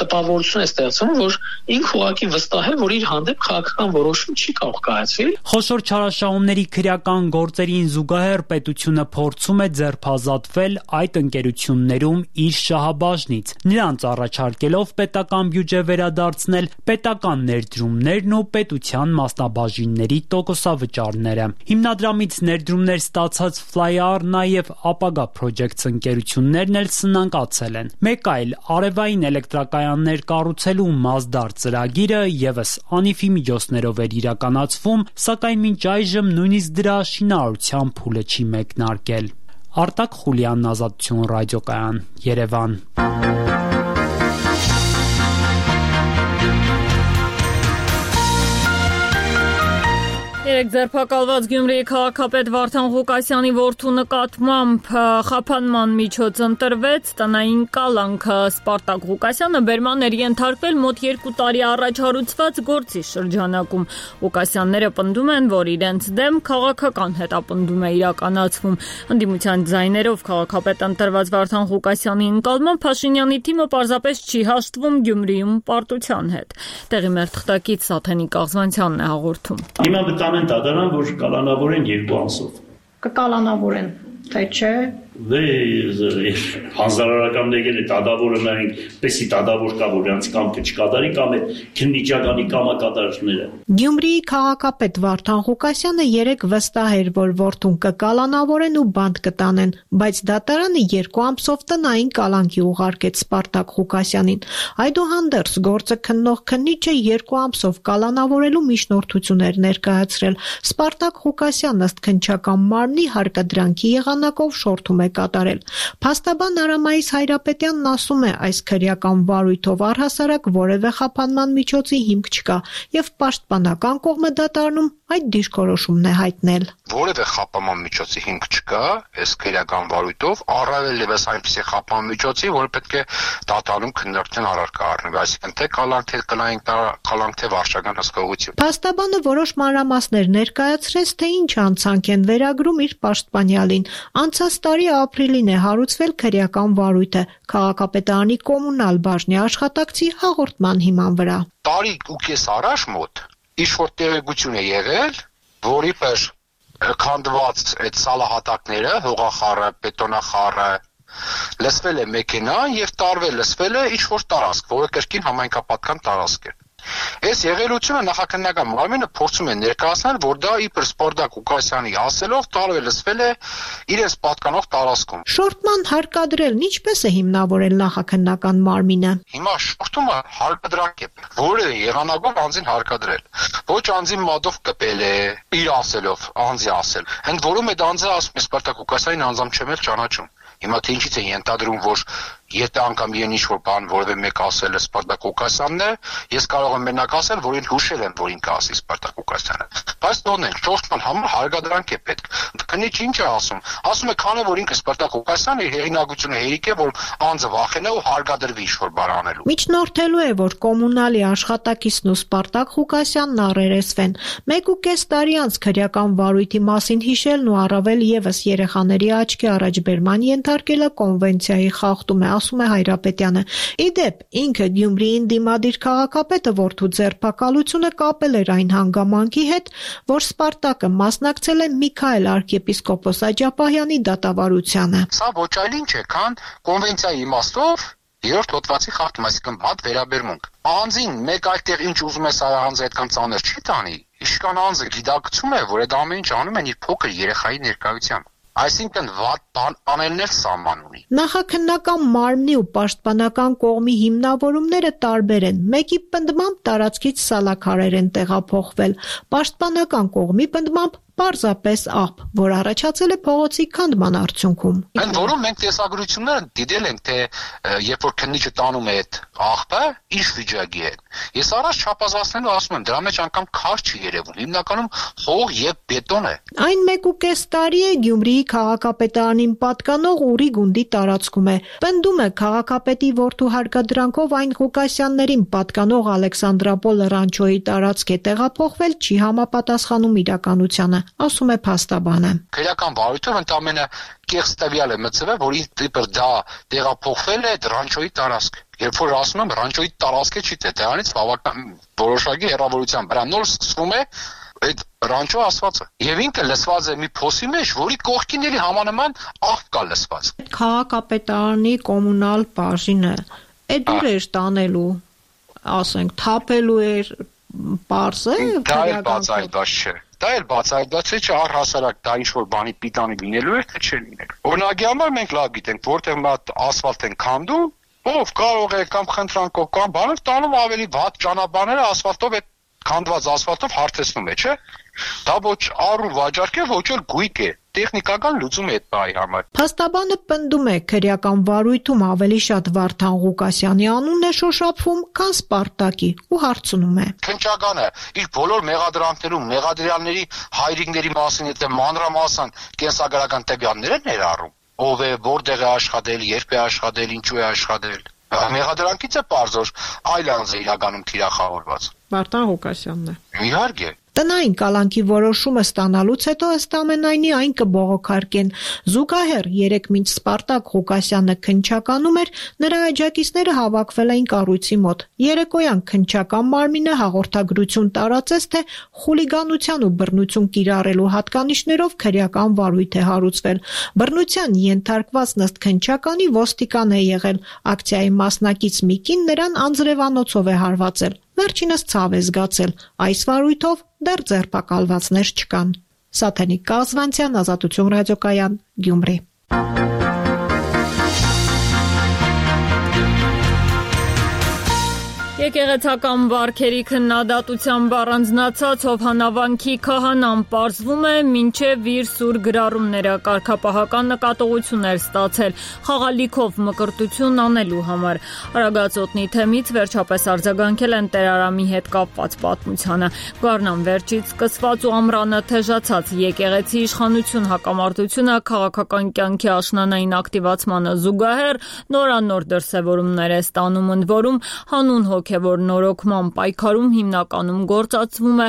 տպավորություն է ստեղծում, որ ինքը ուղղակի վստահ է, որ իր հանդեպ քաղաքական որոշում չի կարող կայացվել։ Խոշոր չարաշահումների քրեական գործերին զուգահեռ պետությունը փորձում է ձերբազատվել այդ ընկերություններում իր շահաբաժնից, նրանց առաջարկելով պետական բյուջե վերադարձնել պետական ներդրումներն ու պետության մասնաբաժինների տոկոսավճարները։ Հիմնադրամից ներդրումներ ստացած Fly-R նաև ապագա Projects ընկերություններն էլ սնանկացել են։ Մեկ այլ արևային էլեկտրակայաններ կառուցելու Մասդար ծրագիրը եւս Անիֆի միջոցներով էր իրականացվում, սակայն մինչ այժմ նույնիսկ դրա շինարարության փուլը չի մեկնարկել։ Արտակ Խուլյանն, Ազատություն ռադիոկայան, Երևան։ Երեք ձերբակալված Գյումրիի քաղաքապետ Վարդան Ղուկասյանի որդու նկատմամբ խափանման միջոց ընտրվեց, տնային կալանքը Սպարտակ Ղուկասյանը բերման էր ենթարկվել մոտ 2 տարի առաջ հարուցված գործի շրջանակում։ Ղուկասյանները պնդում են, որ իրենց դեմ քաղաքական հետապնդում է իրականացվում։ Ընդդիմության ձայներով քաղաքապետ ընտրված Վարդան Ղուկասյանի ընկալմամբ Փաշինյանի թիմը պարզապես չի հաշտվում Գյումրիում պարտության հետ։ Տեղի մեր թղթակից Սաթենիկ Աղզվանցյանն է հաղորդում։ Դատարան, որ կալանավորեն 2 ամսով։ Կկալանավորեն, թե չէ։ Հանձնարարական եկել է դատավորը նայենք, պես դատավոր կա, որ նրանց կամքը չկատարի, կամ այդ քննիչականի կամակատարները։ Գյումրիի քաղաքապետ Վարդան Ղուկասյանը երեկ վստահ էր, որ որդուն կկալանավորեն ու բանտ կտանեն, բայց դատարանը 2 ամսով տնային կալանքի ուղարկեց Սպարտակ Ղուկասյանին։ Այդուհանդերձ գործը քննող քննիչը 2 ամսով կալանավորելու միջնորդություն էր ներկայացրել։ Սպարտակ Ղուկասյանն ըստ քննչական մարմնի հարկադրանքի եղանակով շորթում է կատարել։ Փաստաբան Արամայիս Հայրապետյանն ասում է, այս քրեական վարույթով առհասարակ որևէ խափանման միջոցի հիմք չկա եւ պաշտպանական կողմը դատարանում այդ դիրքորոշումն է հայտնել։ Որևէ խափանման միջոցի հիմք չկա, այս քրեական վարույթով առավել եւս այնպիսի խափանման միջոցի, որ պետք է դատարանում քննարկության առարկա առնվի, այսինքն թե կալանք, թե կալանք, թե վարչական հսկողություն։ Փաստաբանը որոշ մանրամասներ ներկայացրեց, թե ինչ անցանք են վերագրում իր պաշտպանյալին։ Անցած տարի ապրիլին է հարուցվել քրեական վարույթը քաղաքապետարանի կոմունալ բաժնի աշխատակցի հաղորդման հիման վրա։ Տարի ու կես առաջ մոտ ինչ-որ տեղեկություն է եղել, որի պես քանդված այդ սալահատակները, հողախառը, բետոնախառը, լսվել է մեքենան եւ լսվել է ինչ-որ տարածք, որը կրկին համայնքապատկան տարածք է։ Այս եղելությունը նախաքննական մարմինը փորձում է ներկայացնել, որ դա իբր Սպարտակ Ղուկասյանի ասելով լսվել է իրենց պատկանող տարածքում։ Շորտման հարկադրելն ինչպես է հիմնավորել նախաքննական մարմինը։ Հիմա շորտումը հարկադրանք է, որը եղանակով անձին հարկադրել։ Ոչ անձին մատով կպել է, իր ասելով, անձի ասել։ Ընդ որում այդ անձը ասում է Սպարտակ Ղուկասյանին անձամ չեմ էլ ճանաչում։ Հիմա թե ինչից է ենթադրում, որ եթե անգամ իրեն ինչ-որ բան որևէ մեկ ասել է Սպարտակ Ղուկասյանն է, ես կարող եմ մենակ ասել, որ ինքը հուշել եմ, որ ինքը ասի Սպարտակ Ղուկասյանը։ Բայց թողնենք, շորտման համար հարգադրանք է պետք։ Քննիչ ինչ է ասում։ Ասում է, քանի որ ինքը Սպարտակ Ղուկասյանը իր հեղինակությունը հերիք է, որ անձը վախենա ու հարգադրվի ինչ-որ բան անելու։ Միջնորդելու է, որ կոմունալի աշխատակիցն ու Սպարտակ Ղուկասյանն առերեսվեն։ 1.5 տարի անց քրեական վարույթի մասին հիշելն ու առավել եւս երեխաների աչքի առաջ բերման ենթարկելը կոնվենցիայի խախտում է, ասում է Հայրապետյանը։ Իդեպ, ինքը Գյումրիին դիմադիր քաղաքապետը որդու ձերբակալությունը կապել էր այն հանգամանքի հետ, որ Սպարտակը մասնակցել է Միքայել arczepiskopos Աջապահյանի դատավարությանը։ Սա ոչ այլ ինչ է, քան կոնվենցիայի իմաստով երրորդ հոդվածի խախտում, այսինքն բաց վերաբերմունք։ Անձին մեկ այդտեղ ինչ ուզում է սա անձը այդքան ծանր չի տանի։ Իշքան անձը գիտակցում է, որ այդ ամեն ինչ անում են իր փոքր երեխայի ներկայությամբ։ Այսինքն վատ բան անելն էլ սահման ունի։ Նախաքննական մարմնի ու պաշտպանական կողմի հիմնավորումները տարբեր են։ Մեկի պնդմամբ տարածքից սալաքարեր են տեղափոխվել, պաշտպանական կողմի պնդմամբ պարզապես աղբ, որ առաջացել է փողոցի քանդման արդյունքում։ Ընդ որում մենք տեսագրությունները դիտել ենք, թե երբ որ քննիչը տանում է այդ աղբը, ինչ վիճակի է։ Ես առաջ չափազանցնելու ասում եմ, դրա մեջ անգամ քար չի երևում, հիմնականում հող եւ բետոն է։ Այն 1.5 տարի է Գյումրիի քաղաքապետարանին պատկանող Ուրի գունդի տարածքում է։ Պնդում է քաղաքապետի որդու հարկադրանքով այն Ղուկասյաններին պատկանող Ալեքսանդրապոլ ռանչոյի տարածք է տեղափոխվել, չի համապատասխանում իրականությանը, ասում է փաստաբանը։ Քրեական վարույթով ընդամենը կեղծ տվյալ է մտցվել, որ իբր դա տեղափոխվել է ռանչոյի տարածք։ Երբ որ ասում եմ ռանչոյի տարածքը չի դրանից բավական որոշակի հեռավորության վրա նոր սկսվում է այդ ռանչո ասվածը։ Եվ ինքը լսված է մի փոսի մեջ, որի կողքին էլի համանման աղբ կա լսված։ Քաղաքապետարանի կոմունալ բաժինը այդ դուր էր տանելու, ասենք, թափելու էր պարզը, դա էլ բացայտված չէ։ Դա էլ բացայտված չէ, առհասարակ դա ինչ-որ բանի պիտանի լինելու էր, թե չէ լինելու։ Օրինակի համար մենք լավ գիտենք, որտեղ մա ասֆալտ են քանդում, ով կարող է կամ խնդրանքով կամ բանով տանում ավելի վատ ճանապարհները ասֆալտով այդ քանդված ասֆալտով հարթեցնում է, չէ՞։ Դա ոչ առու վաճառք է, ոչ էլ գույք է։ Տեխնիկական լուծում է այդ բայի համար։ Փաստաբանը պնդում է, քրեական վարույթում ավելի շատ Վարդան Ղուկասյանի անունն է շոշափվում, քան Սպարտակի ու հարցնում է։ Քննչականը իր բոլոր մեղադրանքներում մեղադրյալների հայրիկների մասին եթե մանրամասն կենսագրական տվյալներ են ներառում, ով է, որտեղ է աշխատել, երբ է աշխատել, ինչու է աշխատել։ Մեղադրանքից է պարզոր այլ անձ է իրականում թիրախավորված։ Վարդան Ղուկասյանն է։ Իհարկե։ Տնային կալանքի որոշումը ստանալուց հետո ըստ ամենայնի այն կբողոքարկեն։ Զուգահեռ 3 մինչ Սպարտակ Ղուկասյանը քննչականում էր, նրա աջակիցները հավաքվել էին կառույցի մոտ։ Երեկոյան քննչական մարմինը հաղորդագրություն տարածեց, թե խուլիգանության ու բռնություն կիրառելու հատկանիշներով քրեական վարույթ է հարուցվել։ Բռնության ենթարկված ըստ քննչականի ոստիկան է եղել։ Ակցիայի մասնակից մի կին նրան անձրևանոցով է հարվածել։ Վերջինս ցավ է զգացել։ Այս վարույթով դեռ ձերբակալվածներ չկան։ Սաթենիկ Կազվանցյան, Ազատություն ռադիոկայան, Գյումրի։ Եկեղեցական վարքերի քննադատությամբ առանձնացած Հովհաննավանքի քահանան պարզվում է մինչև իր սուր գրառումները կարգապահական նկատողություններ ստացել խաղալիքով մկրտություն անելու համար։ Արագածոտնի թեմից վերջապես արձագանքել են Տերարամի հետ կապված պատմությանը։ Գառնան վերջից սկսված ու ամռանը թեժացած եկեղեցի իշխանություն հակամարտությունը քաղաքական կյանքի աշնանային ակտիվացմանը զուգահեռ նորանոր դրսևորումներ է ստանում, ընդ որում հանուն հոգևոր նորոգման պայքարում հիմնականում գործածվում է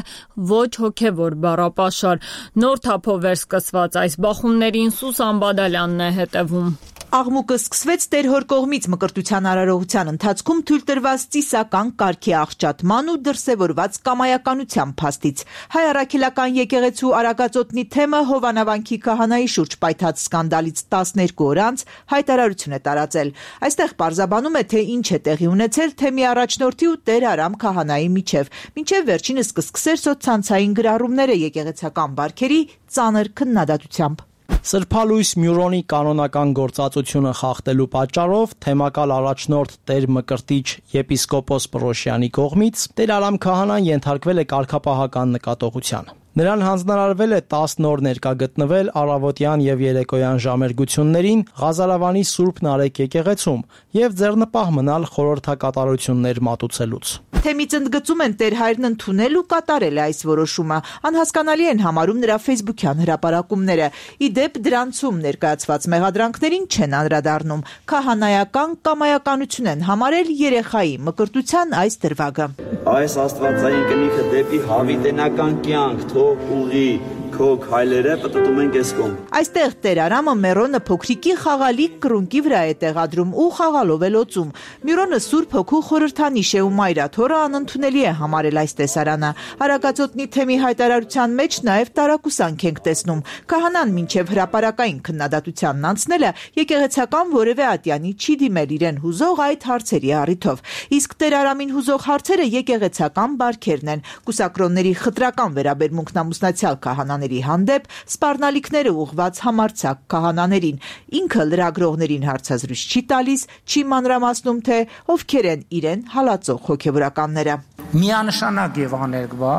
ոչ հոգևոր բառապաշար։ Նոր թափով էր սկսված այս բախումներին Սուսան Բադալյանն է հետևում։ Աղմուկը սկսվեց տերհոր կողմից մկրտության արարողության ընթացքում թույլ տրված ծիսական կարգի աղճատման ու դրսևորված կամայականության փաստից։ Հայ առաքելական եկեղեցու Արագածոտնի թեմը Հովանավանքի քահանայի շուրջ պայթած սկանդալից 12 օր անց հայտարարություն է տարածել։ Այստեղ պարզաբանում է, թե ինչ է տեղի ունեցել թեմի առաջնորդի ու Տեր Արամ քահանայի միջև, մինչև վերջինս կսկսեր սոցցանցային գրառումները եկեղեցական բարքերի ծանր քննադատությամբ։ Սրբալույս Մյուրոնի կանոնական գործածությունը խախտելու պատճառով թեմակալ առաջնորդ Տեր Մկրտիչ եպիսկոպոս Պրոշյանի կողմից Տեր Արամ քահանան ենթարկվել է կարգապահական նկատողության։ Նրան հանձնարարվել է 10 նոր ներկա գտնվել առավոտյան եւ երեկոյան ժամերգություններին Ղազարավանի Սուրբ Նարեկ եկեղեցում եւ ձեռնպահ մնալ խորհրդակատարություններ մատուցելուց։ Թեմից ընդգծում են Տեր Հայրն ընդունել ու կատարել է այս որոշումը։ Անհասկանալի են համարում նրա ֆեյսբուքյան հրապարակումները։ Ի դեպ դրանցում ներկայացված մեղադրանքներին չեն անդրադառնում։ Քահանայական կամայականություն են համարել երեխայի մկրտության այս դրվագը։ Այս աստվածային կնիքը դեպի հավիտենական կյանք թող ուղի քո քայլերը պատտում են քեզ կողմ։ Այստեղ Տեր Արամը Մերոնը փոքրիկի խաղալիք կրունկի վրա է տեղադրում ու խաղալով է լոցում։ Միրոնը Սուրբ Հոգու խորհրդանիշ է ու Մայրաթորը անընդունելի է համարել այս տեսարանը։ Արագածոտնի թեմի հայտարարության մեջ նաև տարակուսանք ենք տեսնում։ Քահանան մինչև հրապարակային քննադատությանն անցնելը եկեղեցական որևէ ատյանի չի դիմել իրեն հուզող այդ հարցերի առիթով։ Իսկ Տեր Արամին հուզող հարցերը եկեղեցական բարքերն են։ Կուսակրոնների խտրական վերաբերմունքն ամուսնացյալ քահանաների հանդեպ, սպառնալիքները ուղղված համարձակ քահանաներին։ Ինքը լրագրողներին հարցազրույց չի տալիս, չի մանրամասնում, թե ովքեր են իրեն հալածող հոգևորականները։ Միանշանակ եւ աներկբա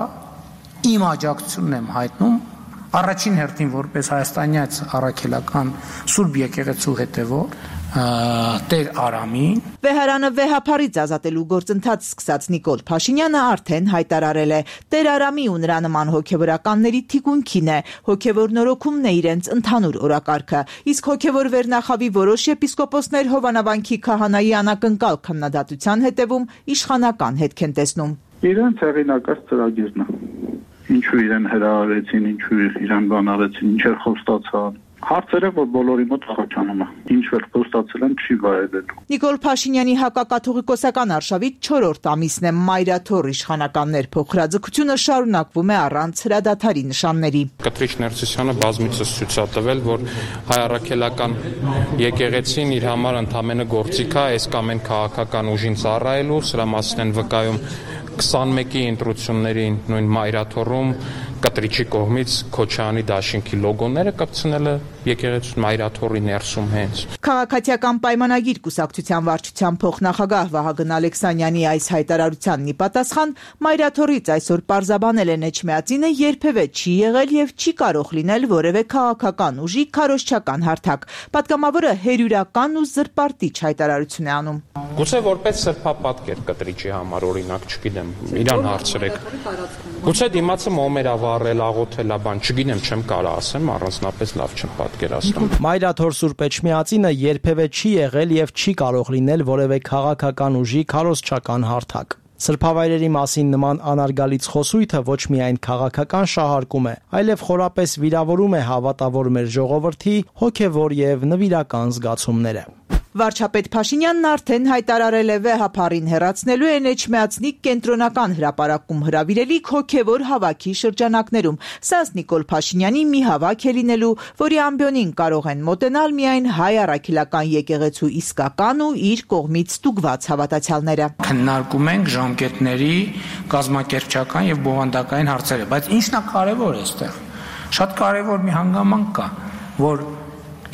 իմ աջակցությունն եմ հայտնում առաջին հերթին որպես հայաստանյաց առաքելական Սուրբ եկեղեցու հետևող Տեր Արամին։ Վեհարանը վեհափարից ազատելու գործընթաց սկսած Նիկոլ Փաշինյանը արդեն հայտարարել է Տեր Արամի ու նրա նման հոգևորականների թիկունքին է, հոգևոր նորոգումն է իրենց ընդհանուր օրակարգը, իսկ հոգևոր վերնախավի որոշ եպիսկոպոսներ Հովանավանքի քահանայի անակնկալ քննադատության հետևում իշխանական հետք են տեսնում։ Իրենց հեղինակած ծրագիրն է։ Ինչու իրեն հրավիրեցին, ինչու իրեն բանարեցին, ինչեր խոստացան։ Հարցերը, որ բոլորի մոտ խոչանում է, ինչ որ խոստացել են չի վայելելու։ Նիկոլ Փաշինյանի հակակաթողիկոսական արշավի 4-րդ ամիսն է Մայրաթոր իշխանականներ փոխհրաձգությունը շարունակվում է առանց հրադադարի նշանների։ Կտրիչ Ներսիսյանը բազմիցս ցույց է տվել, որ հայ առաքելական եկեղեցին իր համար ընդամենը գործիք է այս կամ այն քաղաքական ուժին ծառայելու, սրա մասին են վկայում 21-ի ընտրություններին նույն Մայրաթորում Կտրիչի կողմից Քոչարյանի դաշինքի լոգոները կպցնելը եկեղեցու Մայրաթորի ներսում հենց։ Քաղաքացիական պայմանագիր կուսակցության վարչության փոխնախագահ Վահագն Ալեքսանյանի այս հայտարարությանն ի պատասխան Մայրաթորից այսօր պարզաբանել են Էջմիածինը երբևէ չի եղել եւ չի կարող լինել որևէ քաղաքական ուժի քարոզչական հարթակ։ Պատգամավորը հերյուրական ու զրպարտիչ հայտարարություն է անում։ Գուցե որպես սրբապատկեր Կտրիչի համար օրինակ, չգիտեմ, իրան հարցրեք։ Գուցե դիմացը մոմեր ավառել, աղոթել, բան, չգիտեմ, չեմ կարող ասեմ, առանձնապես լավ չեմ պատկերացնում։ Մայրաթոր Սուրբ Էջմիածինը երբևէ չի եղել եւ չի կարող լինել որևէ քաղաքական ուժի քարոզչական հարթակ։ Սրբավայրերի մասին նման անարգալից խոսույթը ոչ միայն քաղաքական շահարկում է, այլև խորապես վիրավորում է հավատավոր մեր ժողովրդի հոգևոր եւ նվիրական զգացումները։ Վարչապետ Փաշինյանն արդեն հայտարարել է վեհափարին հեռացնելու են Էջմիածնի կենտրոնական հրապարակում հրավիրելիք հոգևոր հավաքի շրջանակներում։ Սրանց Նիկոլ Փաշինյանի մի հավաք է լինելու, որի ամբիոնին կարող են մոտենալ միայն հայ առաքելական եկեղեցու իսկական ու իր կողմից ստուգված հավատացյալները։ Քննարկում ենք ժամկետների կազմակերպչական եւ բովանդակային հարցերը, բայց ինչն է կարևոր այստեղ։ Շատ կարևոր մի հանգամանք կա, որ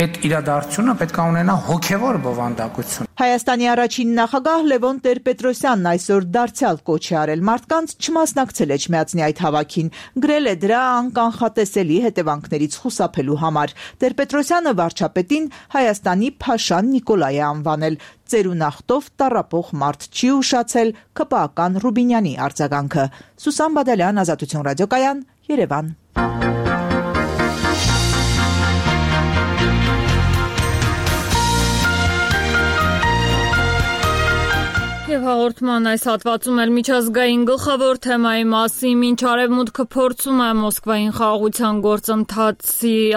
այդ իրադարձությունը պետք է ունենա հոգևոր բովանդակություն։ Հայաստանի առաջին նախագահ Լևոն Տեր-Պետրոսյանն այսօր դարձյալ կոչ է արել մարդկանց չմասնակցել Էջմիածնի այդ հավաքին, գրել է դրա անկանխատեսելի հետևանքներից խուսափելու համար։ Տեր-Պետրոսյանը վարչապետին Հայաստանի Փաշան Նիկոլայ է անվանել։ Ծերունախտով տառապող մարդ չի ուշացել ԿՊԱ-ական Ռուբինյանի արձագանքը։ Սուսան Բադալյան, Ազատություն ռադիոկայան, Երևան։ Եվ Նաև հաղորդման այս հատվածում էլ միջազգային գլխավոր թեմայի մասին, մինչ Արևմուտքը փորձում է Մոսկվային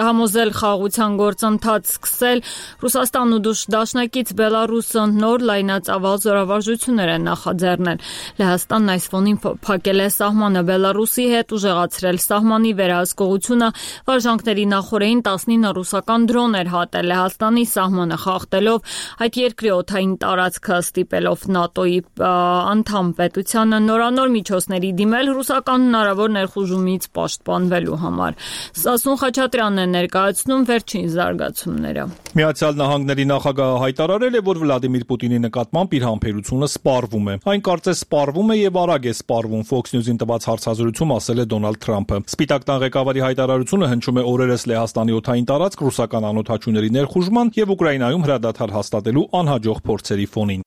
համոզել խաղաղության գործընթաց սկսել, Ռուսաստանն ու դաշնակից Բելարուսը նոր լայնածավալ զորավարժություններ են նախաձեռնել։ Լեհաստանն այս ֆոնին փակել է սահմանը Բելարուսի հետ, ուժեղացրել սահմանի վերահսկողությունը, վարժանքների նախօրեին 19 ռուսական դրոներ հատել Լեհաստանի սահմանը խախտելով, այդ երկրի օդային տարածքը ստիպելով ՆԱՏՕ-ի անդամ պետությանը նորանոր միջոցների դիմել ռուսական հնարավոր ներխուժումից պաշտպանվելու համար։ Սասուն Խաչատրյանն է ներկայացնում վերջին զարգացումները։ Միացյալ Նահանգների նախագահը հայտարարել է, որ Վլադիմիր Պուտինի նկատմամբ իր համբերությունը սպառվում է։ Այն կարծես սպառվում է եւ արագ է սպառվում, Fox News-ին տված հարցազրույցում ասել է Դոնալդ Թրամփը։ Սպիտակ տան ղեկավարի հայտարարությունը հնչում է օրերս Լեհաստանի օդային տարածք ռուսական անօդաչուների ներխուժման եւ Ուկրաինայում հրադադար հաստատելու անհաջող փորձերի ֆոնին։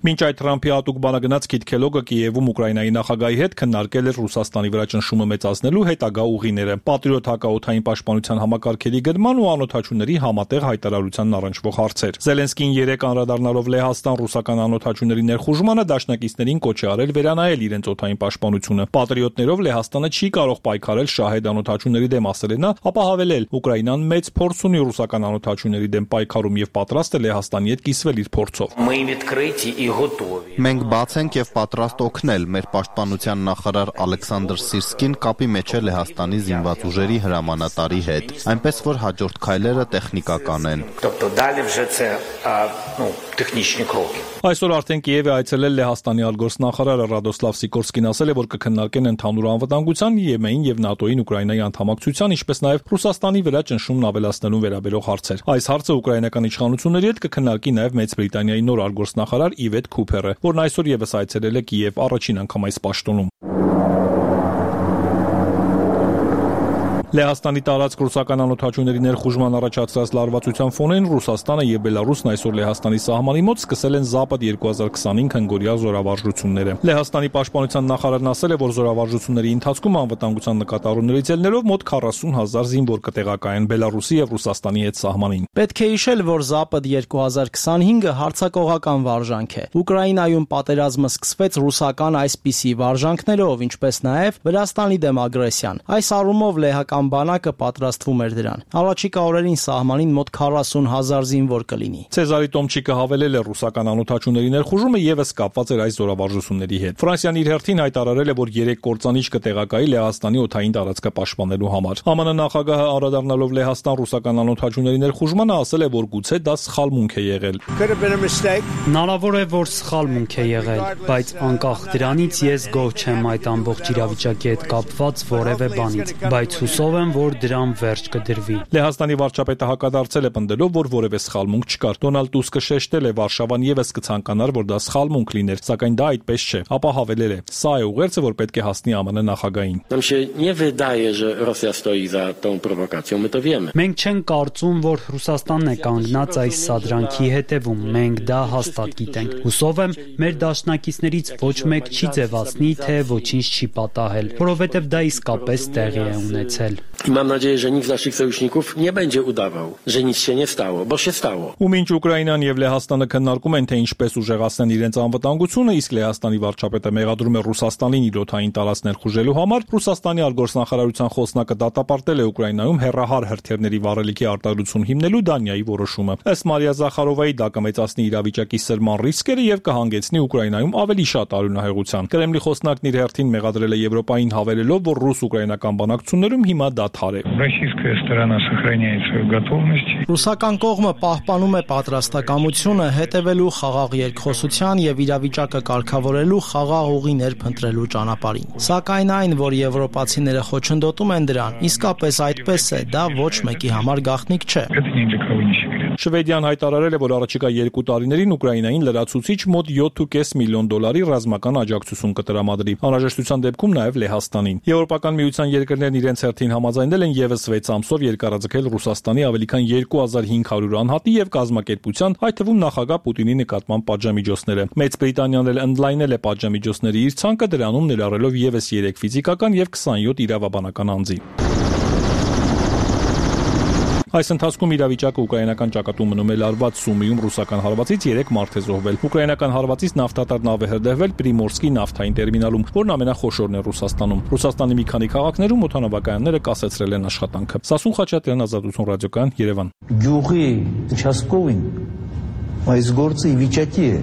Մինչ այդ Թրամփի հատուկ բանագնաց Քիթ Քելոգը Կիևում Ուկրաինայի նախագահի հետ քննարկել էր Ռուսաստանի վրա ճնշումը մեծացնելու հետագա ուղիները, Պատրիոտ հակաօդային պաշտպանության համակարգերի գրման ու անօդաչուների համատեղ հայտարարությանն առնչվող հարցեր։ Զելենսկին երեկ անդրադառնալով Լեհաստան ռուսական անօդաչուների ներխուժմանը դաշնակիցներին կոչ է արել վերանայել իրենց օդային պաշտպանությունը։ Պատրիոտներով Լեհաստանը չի կարող պայքարել շահեդ անօդաչուների դեմ, ասել է նա, ապա հավելել. Ուկրաինան մեծ փորձ ունի ռուսական անօդաչուների դեմ պայքարում եւ պատրաստ է Լեհաստանի հետ կիսվել իր փորձով։ Մենք բաց ենք եւ պատրաստ օգնել։ Մեր պաշտպանության նախարար Ալեքսանդր Սիրսկին կապի մեջ է Լեհաստանի զինված ուժերի հրամանատարի հետ, այնպես որ հաջորդ քայլերը տեխնիկական են։ Այսօր արդեն Կիև է այցելել Լեհաստանի արտգործնախարարը Ռադոսլավ Սիկորսկին, ասել է, որ կքննարկեն ընդհանուր անվտանգության, Եմենին եւ ՆԱՏՕ-ին Ուկրաինայի անդամակցության, ինչպես նաեւ Ռուսաստանի վրա ճնշումն ավելացնելուն վերաբերող հարցեր։ Այս հարցը ուկրաինական իշխանությունների հետ կքննարկի նաեւ Մեծ Բրիտանիայի նոր արտգործնախարար Իվետ Քուփերը, որն այսօր եւս այցելել է Կիև առաջին անգամ այս պաշտոնում։ Լեհաստանի տարածք ռուսական անօդաչուների ներխուժման առաջացրած լարվածության ֆոնին Ռուսաստանը եւ Բելարուսն այսօր Լեհաստանի սահմանի մոտ սկսել են Զապադ 2025 հնգորյա զորավարժությունները։ Լեհաստանի պաշտպանության նախարարն ասել է, որ զորավարժությունների ընթացքում անվտանգության նկատառումներից ելնելով մոտ 40,000 զինվոր կտեղակայեն Բելարուսի եւ Ռուսաստանի հետ սահմանին։ Պետք է հիշել, որ Զապադ 2025-ը հարձակողական վարժանք է։ Ուկրաինայում պատերազմը սկսվեց ռուսական այսպիսի վարժանքներով, ինչպես նաեւ Վրաստանի դեմ ագրեսիան։ Այս առումով լեհական բանակը պատրաստվում էր դրան։ Առաջիկա օրերին սահմանին մոտ 40,000 զինվոր կլինի։ Ցեզարի Տոմչիկը հավելել է ռուսական անօդաչուների ներխուժումը եւս կապված էր այս զորավարժությունների հետ։ Ֆրանսիան իր հերթին հայտարարել է, որ 3 կործանիչ կտեղակայի Լեհաստանի օդային տարածքը պաշտպանելու համար։ ԱՄՆ նախագահը անդրադառնալով Լեհաստան ռուսական անօդաչուների ներխուժմանը ասել է, որ գուցե դա սխալմունք է եղել։ Հնարավոր է, որ սխալմունք է եղել, բայց անկախ դրանից ես գոհ չեմ այդ ամբողջ իրավիճակի հետ կապված որևէ բանից, բայց հուսով եմ, որ դրան վերջ կդրվի։ Լեհաստանի վարչապետը հակադարձել է պնդելով, որ որևէ սխալմունք չկար։ Դոնալդ Տուսկը շեշտել է, Վարշավան եւս կցանկանար, որ դա սխալմունք լիներ, սակայն դա այդպես չէ։ Ապա հավելել է. «Սա է ուղերձը, որ պետք է հասնի ԱՄՆ նախագահին»։ Մենք չենք կարծում, որ Ռուսաստանն է կանգնած այս սադրանքի հետևում։ Մենք դա հաստատ գիտենք։ Հուսով եմ, մեր դաշնակիցներից ոչ մեկ չի ձևացնի, թե ոչինչ չի պատահել, որովհետև դա իսկապես տեղի է ունեցել։ Mam nadzieję, że nikt z naszych sojuszników nie będzie udawał, że nic się nie stało, bo się stało. Ու մինչ Ուկրաինան եւ Լեհաստանը քննարկում են, թե ինչպես ուժեղացնեն իրենց անվտանգությունը, իսկ Լեհաստանի վարչապետը մեղադրում է Ռուսաստանին իր օդային տարածք ներխուժելու համար, Ռուսաստանի արտգործնախարարության խոսնակը դատապարտել է Ուկրաինայում հերրահար հրթիռների վառելիքի արտադրություն հիմնելու Դանիայի որոշումը։ Ըստ Մարիա Զախարովայի, դա կմեծացնի իրավիճակի սրման ռիսկերը եւ կհանգեցնի Ուկրաինայում ավելի շատ արյունահեղության։ Կրեմլի խոսնակն իր հերթին մեղադրել է Եվրոպային հավելելով, որ ռուս-ուկրաինական բանակցություններում հիմա դադար է։ Ռուսական կողմը պահպանում է պատրաստակամությունը հետևելու խաղաղ երկխոսության եւ իրավիճակը կարգավորելու խաղաղ ուղիներ փնտրելու ճանապարհին։ Սակայն այն, որ եվրոպացիները խոչընդոտում են դրան, իսկապես այդպես է, դա ոչ մեկի համար գաղտնիք չէ։ Շվեդիան հայտարարել է, որ առաջիկա 2 տարիներին Ուկրաինային լրացուցիչ մոտ $7.5 միլիոն ռազմական աջակցություն կտրամադրի։ Անհրաժեշտության դեպքում նաև Լեհաստանին։ Եվրոպական միության երկրներն իրենց հերթին համաձայնել են եւս 6 ամսով երկարաձգել Ռուսաստանի ավելի քան 2500 անհատի եւ կազմակերպության, այդ թվում նախագահ Պուտինի նկատմամբ պատժամիջոցները։ Մեծ Բրիտանիան էլ ընդլայնել է պատժամիջոցների իր ցանկը, դրանում ներառելով եւս 3 ֆիզիկական եւ 27 իրավաբանական անձի։ Այս ընթացքում իրավիճակը ուկրաինական ճակատում մնում է լարված, Սումիում ռուսական հարվածից 3 մարդ է զոհվել։ Ուկրաինական հարվածից նավթատար նավ է հրդեհվել Պրիմորսկի նավթային տերմինալում, որն ամենախոշորն է Ռուսաստանում։ Ռուսաստանի մի քանի քաղաքներում օդանավակայանները կասեցրել են աշխատանքը։ Սասուն Խաչատրյան, Ազատություն ռադիոկայան, Երևան։ Գյուղի участковին այս գործը ի վիճակի է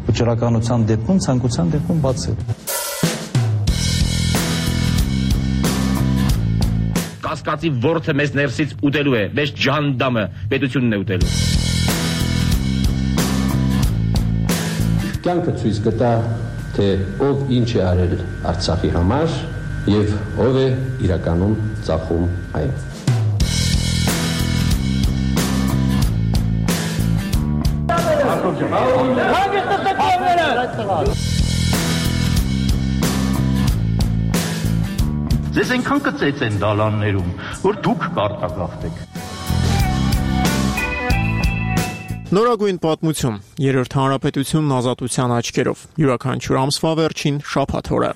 վճռականության դեպքում, ցանկության դեպքում բացել։ Կասկածի ворթը մեզ ներսից ուտելու է, մեզ ջանդամը պետությունն է ուտելու։ Կյանքը ցույց կտա, թե ով ինչ է արել Արցախի համար եւ ով է իրականում ծախում այն։ Ձեզ այնքան կծեց են դալաններում, որ դուք կարտագաղթեք։ Նորագույն պատմություն, երրորդ հանրապետությունն ազատության աչքերով, յուրաքանչյուր ամսվա վերջին շաբաթ օրը։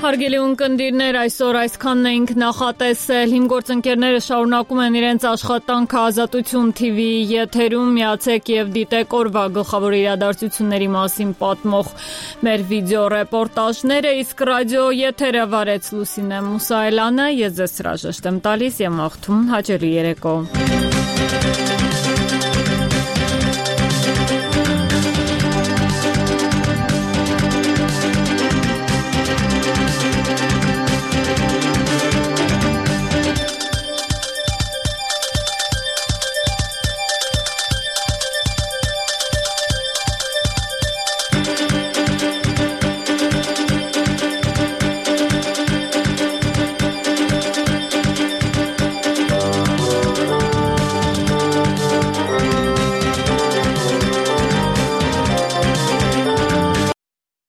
Հարգելի ունկնդիրներ, այսօր այսքանն էինք նախատեսել։ Իմ գործընկերները շարունակում են իրենց աշխատանքը Ազատություն TV-ի եթերում, միացեք եւ դիտեք օրվա գլխավոր իրադարձությունների մասին պատմող մեր վիդեո ռեպորտաժները, իսկ ռադիո եթերը վարեց Լուսինե Մուսայելյանը, ես ձեզ հրաժեշտ եմ տալիս եւ մաղթում հաջողի երեկո։